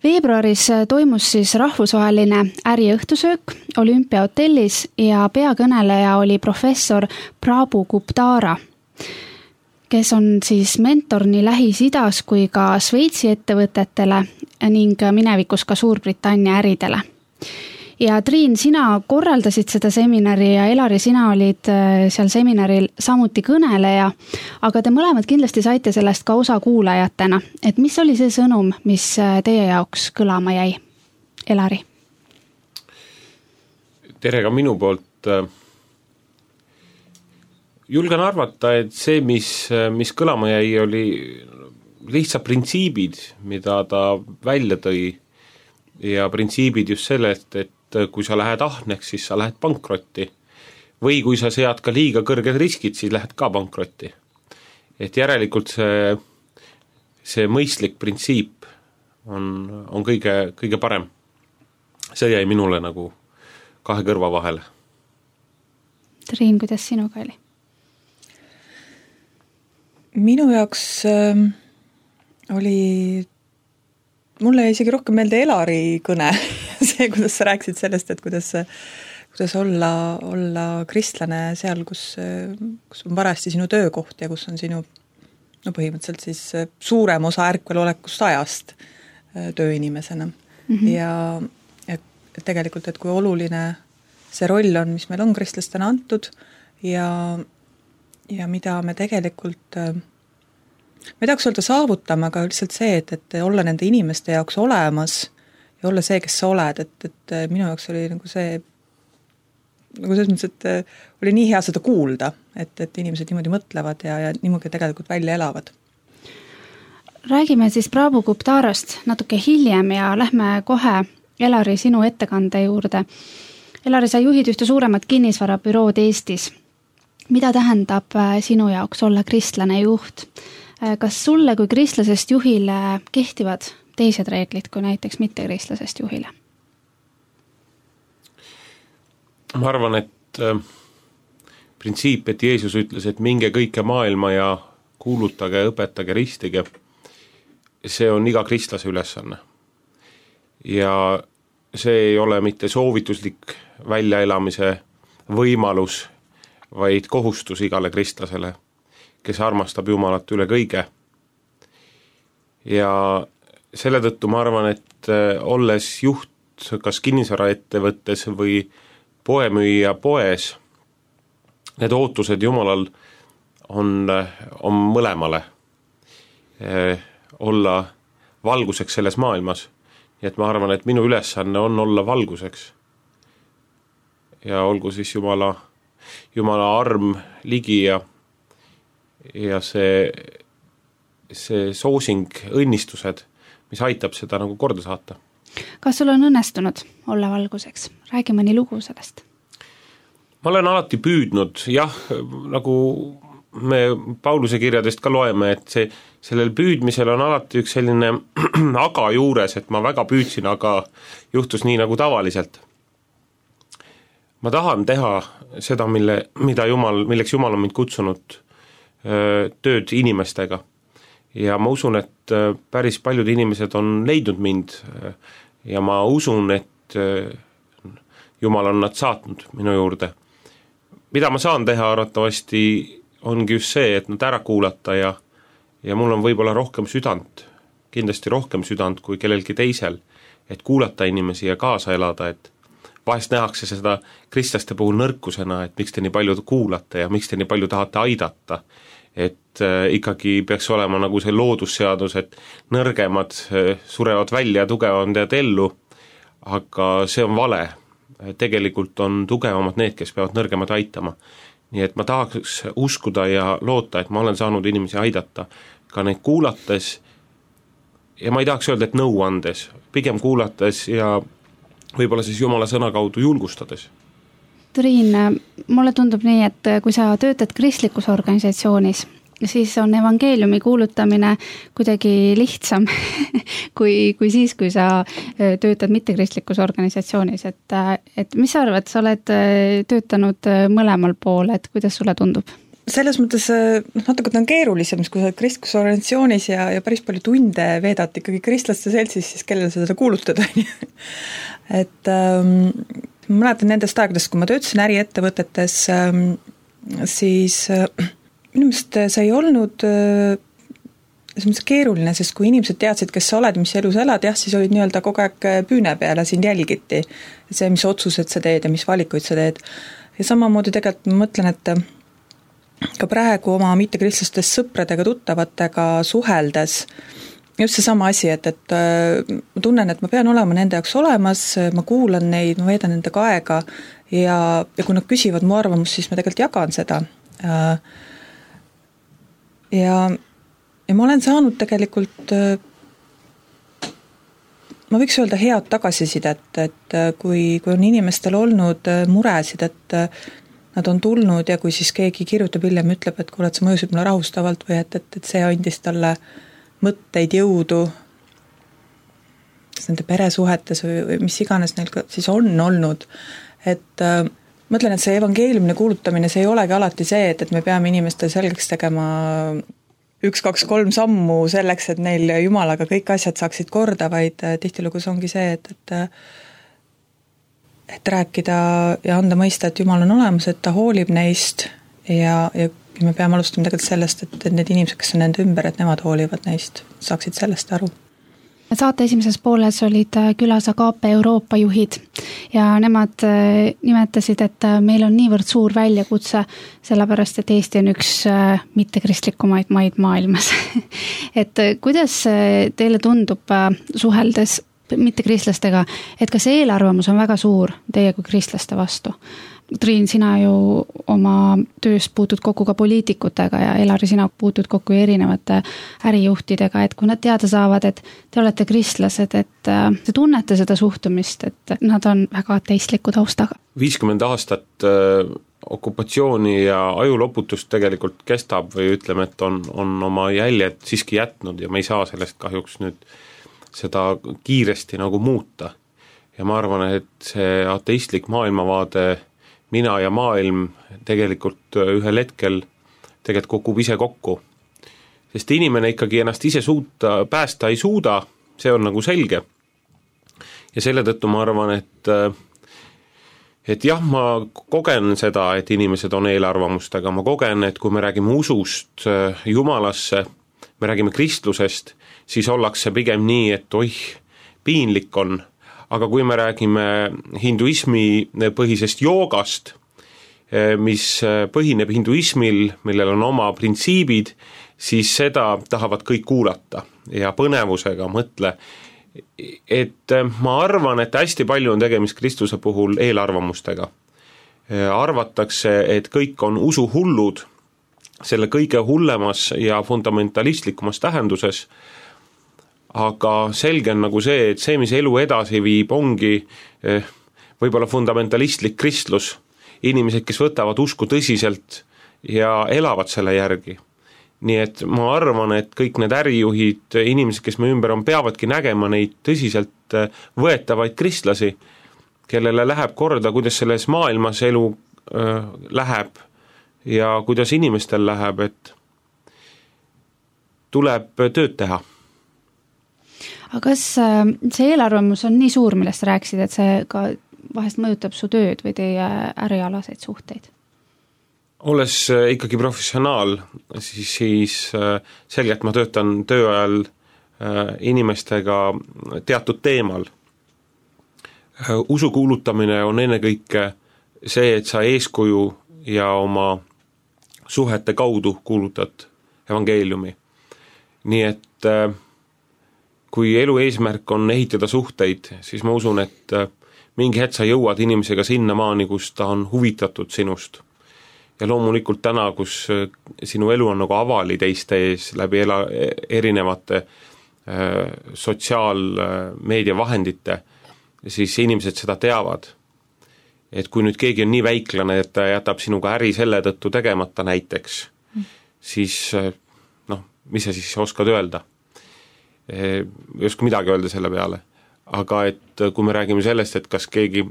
Veebruaris toimus siis rahvusvaheline äriõhtusöök Olümpiahotellis ja peakõneleja oli professor Prabhu Guptara, kes on siis mentor nii Lähis-Idas kui ka Šveitsi ettevõtetele ning minevikus ka Suurbritannia äridele. Ja Triin, sina korraldasid seda seminari ja Elari, sina olid seal seminaril samuti kõneleja, aga te mõlemad kindlasti saite sellest ka osa kuulajatena. Et mis oli see sõnum, mis teie jaoks kõlama jäi? Elari. Tere ka minu poolt. Julgen arvata, et see, mis kõlama jäi, oli lihtsalt printsiibid, mida ta välja tõi ja printsiibid just sellest, et kui sa lähed ahneks, siis sa lähed pankrotti või kui sa sead ka liiga kõrged riskid, siis lähed ka pankrotti. Et järelikult see mõistlik printsiip on kõige parem. See jäi minule nagu kahe kõrva vahele. Triin, kuidas sinuga oli? Minu jaoks oli, mulle isegi rohkem meelde Elari kõne, see, kuidas sa rääkisid sellest, et kuidas olla kristlane seal, kus on varasti sinu töökoht ja kus on sinu põhimõtteliselt siis suurem osa ärkvelolekust ajast tööinimesena. Ja tegelikult, et kui oluline see roll on, mis meil on kristlastena antud ja mida me tegelikult ma ei tahaks öelda saavutama, aga lihtsalt see, et olla nende inimeste jaoks olemas ja olla see, kes sa oled, et minu jaoks oli nagu see nagu selles mõttes, et oli nii hea seda kuulda, et inimesed niimoodi mõtlevad ja niimoodi tegelikult välja elavad. Räägime siis Prabhu Guptarast natuke hiljem ja lähme kohe Elari sinu ettekande juurde. Elari, sa juhid ühte suuremat kinnisvarabürood Eestis. Mida tähendab sinu jaoks olla kristlane juht? Kas sulle kui kristlasest juhile kehtivad teised reeglid kui näiteks mitte kristlasest juhile? Ma arvan, et printsiip, et Jeesus ütles, et minge kõike maailma ja kuulutage, õpetage, ristige, see on iga kristlase ülesanne. Ja see ei ole mitte soovituslik väljaelamise võimalus, vaid kohustus igale kristlasele, kes armastab Jumalat üle kõige. Ja selle tõttu ma arvan, et olles juht kas kinnisvaraettevõttes või poemüüja poes, need ootused Jumalal on mõlemale olla valguseks selles maailmas. Nii et ma arvan, et minu ülesanne on olla valguseks. Ja olgu siis Jumala arm ligi ja see soosing, õnnistused, mis aitab seda nagu korda saata. Kas sul on õnnestunud olla valguseks? Räägi mõni lugu sellest. Ma olen alati püüdnud, jah, nagu me Pauluse kirjadest ka loeme, et sellel püüdmisel on alati üks selline aga juures, et ma väga püüdsin, aga juhtus nii nagu tavaliselt. Ma tahan teha seda, milleks Jumal on mind kutsunud tööd inimestega. Ja ma usun, et päris paljud inimesed on leidnud mind ja ma usun, et Jumal on nad saatnud minu juurde. Mida ma saan teha arvatavasti ongi just see, et nad ära kuulata ja mul on võib-olla rohkem südant, kindlasti rohkem südant kui kellelgi teisel, et kuulata inimesi ja kaasa elada, et vahest nähakse seda kristlaste puhul nõrkusena, et miks te nii palju kuulate ja miks te nii palju tahate aidata. Et ikkagi peaks olema nagu see loodusseadus, et nõrgemad surevad välja, tugevamad jäävad ellu, aga see on vale. Tegelikult on tugevamad need, kes peavad nõrgemad aitama. Nii et ma tahaks uskuda ja loota, et ma olen saanud inimesi aidata, ka neid kuulates ja ma ei tahaks öelda, et nõu andes, pigem kuulates ja võib-olla siis Jumala sõna kaudu julgustades. Triin, mulle tundub nii, et kui sa töötad kristlikus organisatsioonis, siis on evangeeliumi kuulutamine kuidagi lihtsam kui siis, kui sa töötad mittekristlikus organisatsioonis. Et mis sa arvad, sa oled töötanud mõlemal pool, et kuidas sulle tundub? Selles mõttes natuke on keerulisem, kui sa oled kristlikus organisatsioonis ja päris palju tunde veedad ikkagi kristlaste seltsis, siis kellele seda kuulutada. Et ma mäletan nendest aegadest, kui ma töötasin äriettevõtetes, siis minu meelest see ei olnud keeruline, sest kui inimesed teadsid, kes sa oled, mis elus elad, jah, siis olid nii-öelda kogu aeg püüne peale, sind jälgiti. See, mis otsused sa teed ja mis valikuid sa teed. Ja samamoodi tegelikult ma mõtlen, et ka praegu oma mittekristlastes sõpradega, tuttavatega suheldes just see sama asi, et ma tunnen, et ma pean olema nende jaoks olemas, ma kuulan neid, ma veedan nendega aega ja kui nad küsivad mu arvamust, siis ma tegelikult jagan seda. Ja ma olen saanud tegelikult, ma võiks öelda head tagasisidet, et kui on inimestel olnud muresid, et nad on tulnud ja kui siis keegi kirjutab hiljem, ütleb, et kuule, et see mõjusid mulle rahustavalt või et see andis talle mõtteid, jõudu nende peresuhetes või mis iganes neil siis on olnud. Et mõtlen, et see evangeeliumine kuulutamine, see ei olegi alati see, et me peame inimestele selgeks tegema 1, 2, 3 sammu selleks, et neil Jumalaga kõik asjad saaksid korda, vaid tihtilugu ongi see, et rääkida ja anda mõista, et Jumal on olemas, et ta hoolib neist ja me peame alustama tegelikult sellest, et need inimesed, kes on nende ümber, et nemad hoolivad neist, saaksid sellest aru. Saate esimeses pooles olid külas Agape Euroopa juhid ja nemad nimetasid, et meil on niivõrd suur väljakutse, sellepärast, et Eesti on üks mittekristlikumaid maid maailmas. Et kuidas teile tundub suheldes mittekristlastega, et kas eelarvamus on väga suur teie kui kristlaste vastu? Triin, sina ju oma tööst puutud kokku ka poliitikutega ja Elari, sina puutud kokku erinevate ärijuhtidega, et kui nad teada saavad, et te olete kristlased, et te tunnete seda suhtumist, et nad on väga ateistliku taustaga. 50 aastat okupatsiooni ja ajuloputust tegelikult kestab või ütleme, et on oma jäljed siiski jätnud ja me ei saa sellest kahjuks nüüd seda kiiresti nagu muuta. Ja ma arvan, et see ateistlik maailmavaade, mina ja maailm tegelikult ühel hetkel tegelikult kukub ise kokku. Sest inimene ikkagi ennast ise päästa ei suuda, see on nagu selge. Ja selle tõttu ma arvan, et jah, ma kogen seda, et inimesed on eelarvamustega, ma kogen, et kui me räägime usust Jumalasse, me räägime kristlusest, siis ollakse pigem nii, et piinlik on. Aga kui me räägime hinduismi põhisest joogast, mis põhineb hinduismil, millel on oma printsiibid, siis seda tahavad kõik kuulata ja põnevusega mõtle. Et ma arvan, et hästi palju on tegemist Kristuse puhul eelarvamustega. Arvatakse, et kõik on usuhullud selle kõige hullemas ja fundamentalistlikkumas tähenduses, aga selge on nagu see, et see, mis elu edasi viib, ongi võib-olla fundamentalistlik kristlus, inimesed, kes võtavad usku tõsiselt ja elavad selle järgi. Nii et ma arvan, et kõik need ärijuhid, inimesed, kes me ümber on, peavadki nägema neid tõsiselt võetavaid kristlasi, kellele läheb korda, kuidas selles maailmas elu läheb ja kuidas inimestel läheb, et tuleb tööd teha. Aga kas see eelarvamus on nii suur, millest sa rääkisid, et see ka vahest mõjutab su tööd või teie ärialaseid suhteid? Olles ikkagi professionaal, siis selgelt ma töötan tööajal inimestega teatud teemal. Usu kuulutamine on ennekõike see, et sa eeskuju ja oma suhete kaudu kuulutad evangeeliumi. Nii et kui elu eesmärk on ehitada suhteid, siis ma usun, et mingi hetk sa jõuad inimesega sinna maani, kus ta on huvitatud sinust. Ja loomulikult täna, kus sinu elu on nagu avali teiste ees läbi erinevate sotsiaalmeedia vahendite, siis inimesed seda teavad. Et kui nüüd keegi on nii väiklane, et ta jätab sinuga äri selle tõttu tegemata näiteks, siis mis sa siis oskad öelda? Ei oska midagi öelda selle peale. Aga et kui me räägime sellest, et kas keegi,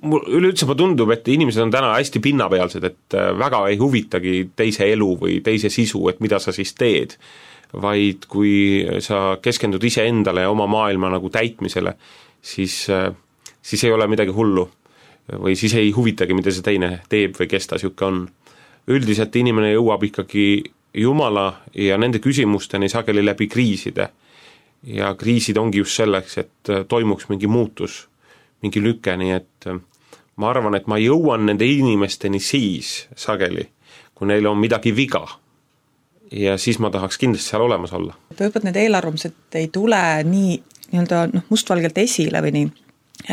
üleüldse ma tundub, et inimesed on täna hästi pinnapealsed, et väga ei huvitagi teise elu või teise sisu, et mida sa siis teed, vaid kui sa keskendud ise endale ja oma maailma nagu täitmisele, siis ei ole midagi hullu või siis ei huvitagi, mida see teine teeb või kes ta siuke on. Üldiselt inimene jõuab ikkagi Jumala ja nende küsimusteni sageli läbi kriiside. Ja kriisid ongi just selleks, et toimuks mingi muutus, mingi lüke, nii et ma arvan, et ma jõuan nende inimesteni siis sageli, kui neil on midagi viga. Ja siis ma tahaks kindlasti seal olemas olla. Võib-olla need eelarvamused ei tule nii mustvalgelt esile või nii,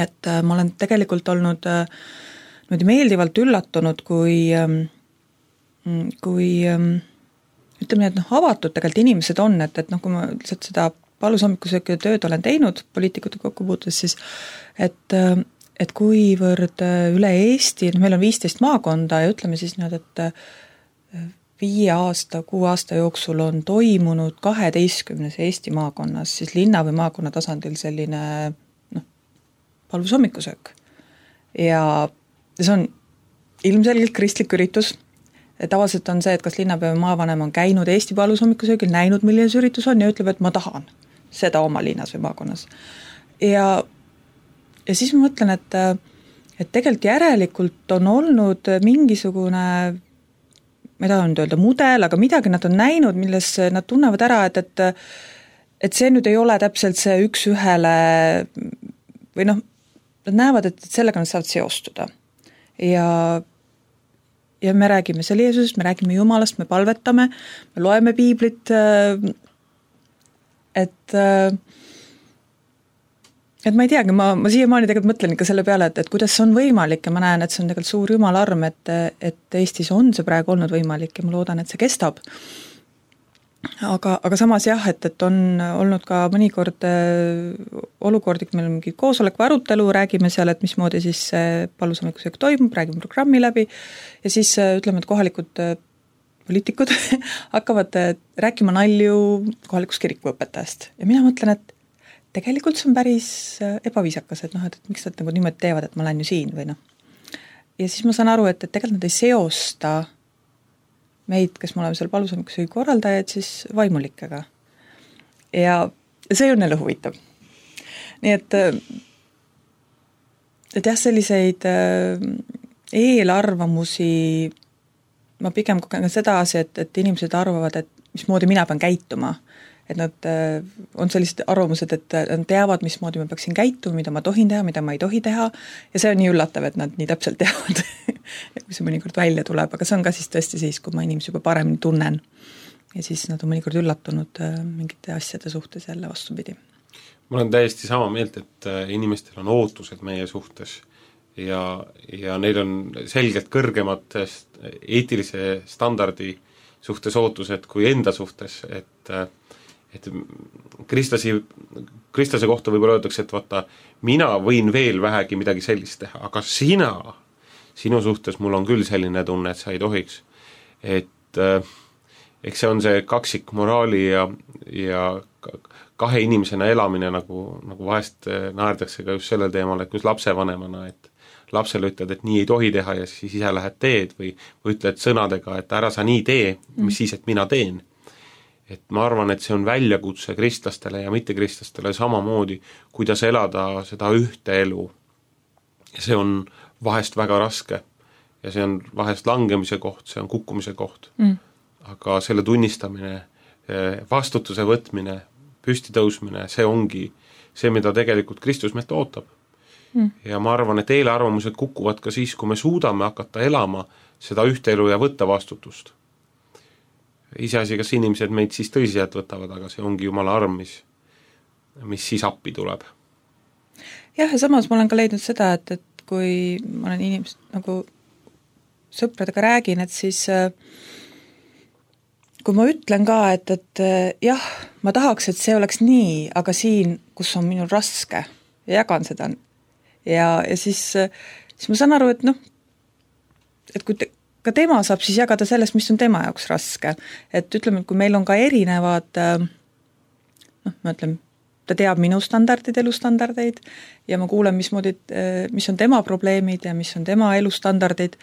et ma olen tegelikult olnud meeldivalt üllatunud, kui ütleme nii, et avatud tegelikult inimesed on, et kui ma lihtsalt seda palushommikuseööki tööd olen teinud poliitikute kokkupuutudes, siis et kuivõrd üle Eesti, meil on 15 maakonda ja ütleme siis nüüd, et 6 aasta jooksul on toimunud 12 Eesti maakonnas, siis linna või maakonna tasandil selline palushommikuseök. Ja see on ilmselgelt kristlik üritus. Tavaliselt on see, et kas linnapea või maavanem on käinud Eesti palushommikuseöögil, näinud, milline see üritus on ja ütleb, et ma tahan seda oma linnas või maakonnas. Ja siis ma mõtlen, et tegelikult järelikult on olnud mingisugune, ma ei taha nüüd öelda mudel, aga midagi nad on näinud, milles nad tunnevad ära, et see nüüd ei ole täpselt see üks ühele või nad näevad, et sellega nad saavad seostuda. Ja me räägime selle Jeesusest, me räägime Jumalast, me palvetame, me loeme piiblit, et ma ei teagi, ma siiamaani tegelikult mõtlen ikka selle peale, et kuidas see on võimalik ja ma näen, et see on tegelikult suur Jumala arm, et Eestis on see praegu olnud võimalik ja ma loodan, et see kestab. Aga samas jah, et on olnud ka mõnikord olukordi, kui meil on mingi koosolek või arutelu, räägime seal, et mismoodi siis palushommikuseök toimub, räägime programmi läbi ja siis ütleme, et kohalikud poliitikud hakkavad rääkima nalju kohalikus kirikuõpetajast ja mina mõtlen, et tegelikult see on päris ebaviisakas, et miks nad nagu niimoodi teevad, et ma lähen ju siin või . Ja siis ma saan aru, et tegelikult nad ei seosta meid, kes me oleme seal palushommikuseöögi korraldajad, siis vaimulikega. Ja see on neile huvitav. Nii et jah, selliseid eelarvamusi ma pigem kogen sedasi, et inimesed arvavad, et mismoodi mina pean käituma. Et nad on sellised arvamused, et nad teavad, mismoodi ma peaksin käituma, mida ma tohin teha, mida ma ei tohi teha ja see on nii üllatav, et nad nii täpselt teavad, kui see mõnikord välja tuleb, aga see on ka siis tõesti siis, kui ma inimesi juba paremini tunnen ja siis nad on mõnikord üllatunud mingite asjade suhtes jälle vastupidi. Ma olen täiesti sama meelt, et inimestel on ootused meie suhtes ja neil on selgelt kõrgemad eetilise standardi suhtes ootused kui enda suhtes, et kristlase kohta võib-olla öeldakse, et vaata, mina võin veel vähegi midagi sellist teha, aga sinu suhtes mul on küll selline tunne, et sa ei tohiks. Et eks see on see kaksik moraali ja kahe inimesena elamine, nagu vahest naerdakse ka just sellel teemal, et kus lapsevanemana, et lapsele ütled, et nii ei tohi teha ja siis ise lähed teed või ütled sõnadega, et ära sa nii tee, mis siis, et mina teen. Et ma arvan, et see on väljakutse kristlastele ja mittekristlastele samamoodi, kuidas elada seda ühte elu. Ja see on vahest väga raske ja see on vahest langemise koht, see on kukkumise koht. Aga selle tunnistamine, vastutuse võtmine, püsti tõusmine, see ongi see, mida tegelikult Kristus meilt ootab. Ja ma arvan, et eelarvamused kukuvad ka siis, kui me suudame hakata elama seda ühte elu ja võtta vastutust. Iseasi, kas inimesed meid siis tõsiselt võtavad, aga see ongi Jumala arm, mis siis appi tuleb. Jah, ja samas ma olen ka leidnud seda, et kui ma olen inimesed nagu sõpradega räägin, et siis kui ma ütlen ka, et jah, ma tahaks, et see oleks nii, aga siin, kus on minul raske ja jagan seda ja siis ma saan aru, et et kui ka tema saab siis jagada sellest, mis on tema jaoks raske. Et ütleme, et kui meil on ka erinevad, ma ütlen, ta teab minu standardid, elustandardeid ja ma kuulen, mis on tema probleemid ja mis on tema elustandardid,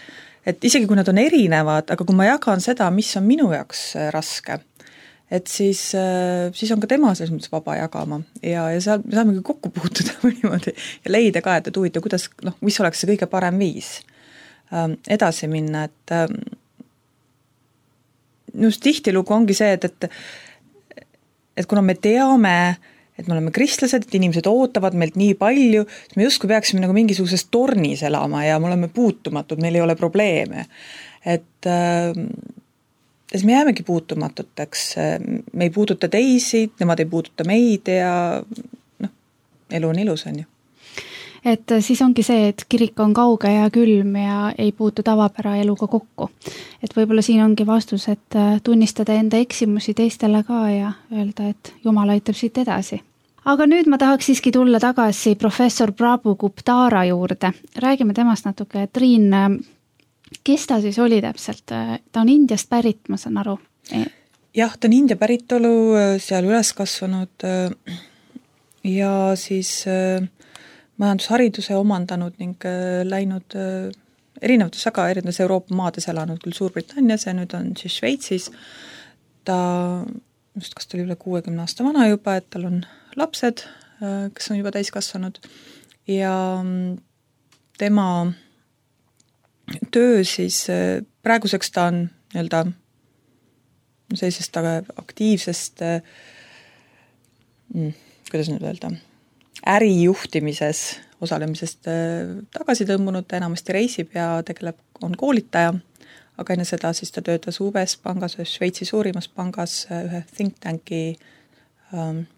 et isegi kui nad on erinevad, aga kui ma jagan seda, mis on minu jaoks raske, et siis on ka tema selles mõttes vaba jagama ja seal me saamegi kokku puutuda niimoodi ja leida ka, et huvitav, kuidas, mis oleks see kõige parem viis edasi minna, et just tihtilugu ongi see, et kuna me teame, et me oleme kristlased, et inimesed ootavad meilt nii palju, siis me justkui peaksime nagu mingisuguses tornis elama ja me oleme puutumatud, meil ei ole probleeme. Et me jäämegi puutumatuteks, me ei puuduta teisi, nemad ei puuduta meid ja elu on ilus, on ju. Et siis ongi see, et kirik on kauge ja külm ja ei puutu tavapära eluga kokku. Et võib-olla siin ongi vastus, et tunnistada enda eksimusi teistele ka ja öelda, et Jumal aitab siit edasi. Aga nüüd ma tahaks siiski tulla tagasi professor Prabhu Guptara juurde. Räägime temast natuke. Triin, kes ta siis oli täpselt? Ta on Indiast pärit, ma saan aru. Jah, ta on India päritolu, seal üles kasvanud ja siis majandushariduse omandanud ning läinud erinevates Euroopa maades elanud, küll Suurbritannias ja nüüd on siis Šveitsis. Ta, kas ta oli üle 60 aasta vana juba, et tal on lapsed, kes on juba täiskasvanud ja tema töö siis praeguseks ta on sellisest aktiivsest kuidas nüüd öelda, ärijuhtimises osalemisest tagasi tõmbunud, ta enamasti reisib ja on koolitaja, aga enne seda siis ta töötas UBS pangas, Šveitsi suurimas pangas ühe think tanki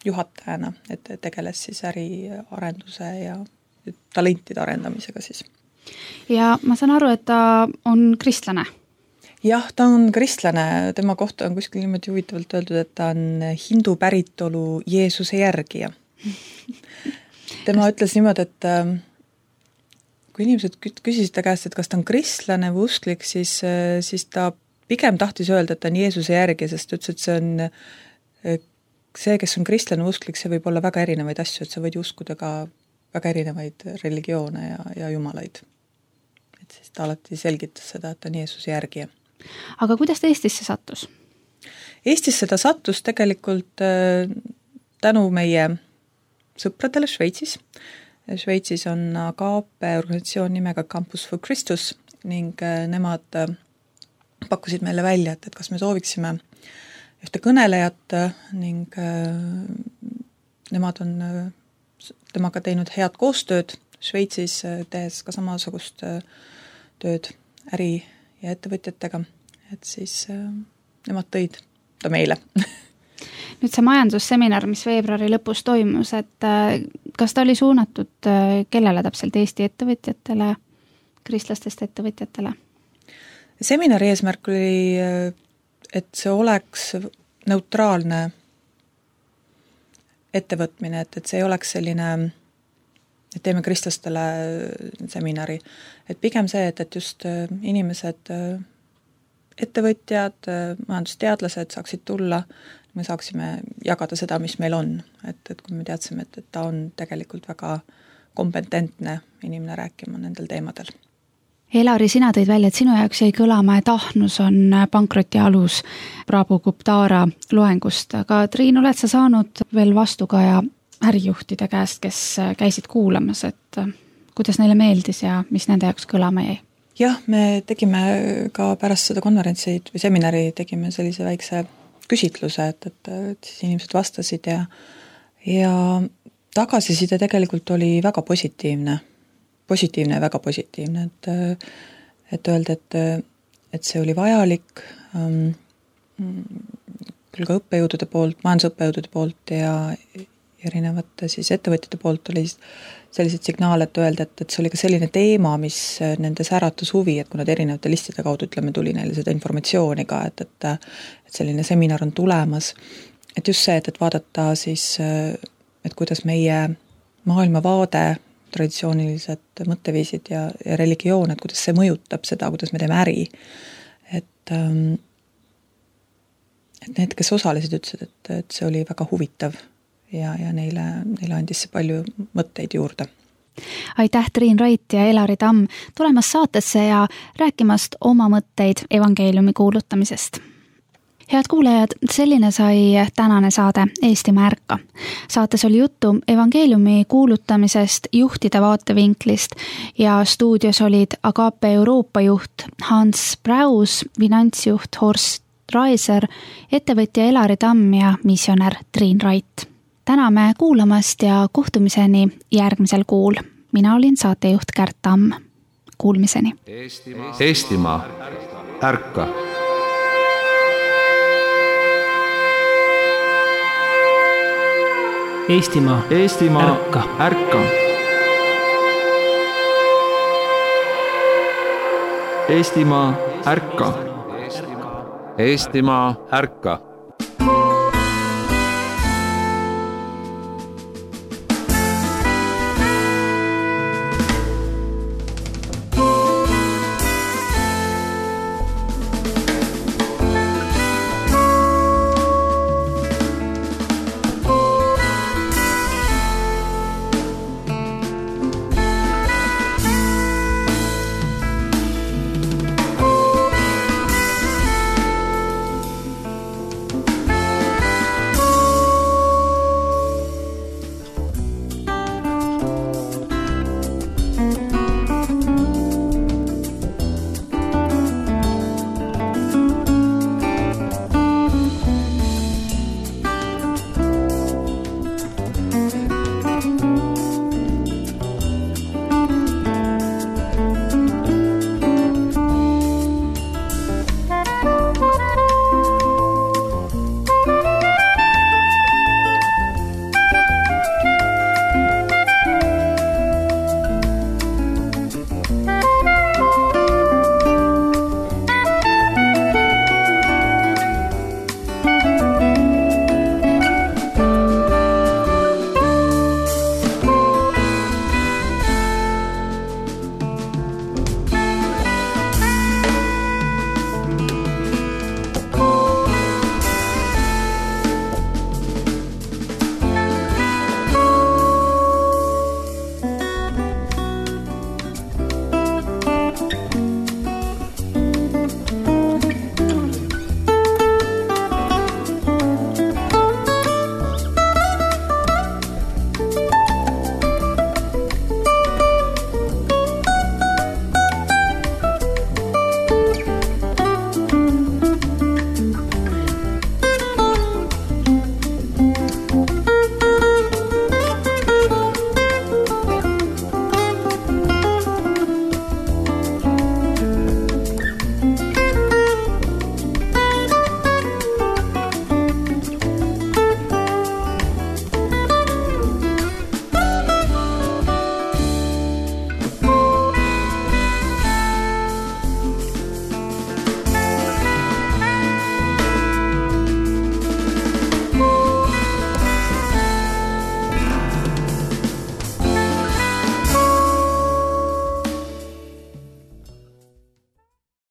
juhatajana, et tegeles siis äriarenduse ja talentide arendamisega siis. Ja ma saan aru, et ta on kristlane. Jah, ta on kristlane, tema kohta on kuskil niimoodi huvitavalt öeldud, et ta on hindu päritolu Jeesuse järgija. Tema ütles niimoodi, et kui inimesed küsisid ta käest, et kas ta on kristlane või usklik, siis ta pigem tahtis öelda, et ta on Jeesuse järgija, sest ütles, et see on see, kes on kristlane või usklik, see võib olla väga erinevaid asju, et sa võid uskuda ka väga erinevaid religioone ja jumalaid. Et siis ta alati selgitas seda, et ta on Jeesuse järgija. Aga kuidas ta Eestisse sattus? Eestisse ta sattus tegelikult tänu meie sõpradele Šveitsis. Šveitsis on AGAPE organisatsioon nimega Campus for Christus ning nemad pakkusid meile välja, et kas me sooviksime ühte kõnelejat ning nemad on temaga teinud head koostööd Šveitsis, tehes ka samasugust tööd äri- ja ettevõtjatega, et siis nemad tõid ta meile. Nüüd see majandusseminar, mis veebruari lõpus toimus, et kas ta oli suunatud kellele täpselt Eesti ettevõtjatele, kristlastest ettevõtjatele? Seminari eesmärk oli, et see oleks neutraalne ettevõtmine, et see ei oleks selline, et teeme kristlastele seminari. Et pigem see, et just inimesed, ettevõtjad, majandusteadlased saaksid tulla, me saaksime jagada seda, mis meil on. Et kui me teadsime, et ta on tegelikult väga kompetentne inimene rääkima nendel teemadel. Elari, sina tõid välja, et sinu jaoks jäi kõlama, et ahnus on pankroti alus Prabhu Guptara loengust, aga Triin, oled sa saanud veel vastukaja ärijuhtide käest, kes käisid kuulamas, et kuidas neile meeldis ja mis nende jaoks kõlama jäi? Jah, me tegime ka pärast seda konverentsi või seminari tegime sellise väikse küsitluse, et siis inimesed vastasid ja tagasiside tegelikult oli väga positiivne ja väga positiivne, et öelda, et see oli vajalik küll ka õppejõudude poolt, majandusõppejõudude poolt ja erinevate siis ettevõtjate poolt oli sellised signaal, et öelda, et see oli ka selline teema, mis nendes äratus huvi, et kui nad erinevate listide kaudu, ütleme, tuli neile seda informatsiooni ka, et selline seminar on tulemas. Et just see, et vaadata siis, et kuidas meie maailmavaade traditsioonilised mõtteviisid ja religioon, et kuidas see mõjutab seda, kuidas me teeme äri. Et need, kes osalesid, ütlesid, et see oli väga huvitav ja neile andis see palju mõtteid juurde. Aitäh, Triin Rait ja Elari Tamm tulemast saatesse ja rääkimast oma mõtteid evangeeliumi kuulutamisest. Head kuulajad, selline sai tänane saade Eestimaa ärka. Saates oli juttu evangeeliumi kuulutamisest juhtide vaatevinklist ja stuudios olid Agape Euroopa juht Hans Braus, finantsjuht Horst Raiser, ettevõtja Elari Tamm ja missionär Triin Rait. Täname kuulamast ja kohtumiseni järgmisel kuul. Mina olin saatejuht Kärt Tamm. Kuulmiseni. Eestimaa ärka. Eestimaa ärka. Ärka. Eestimaa ärka. Eestimaa ärka.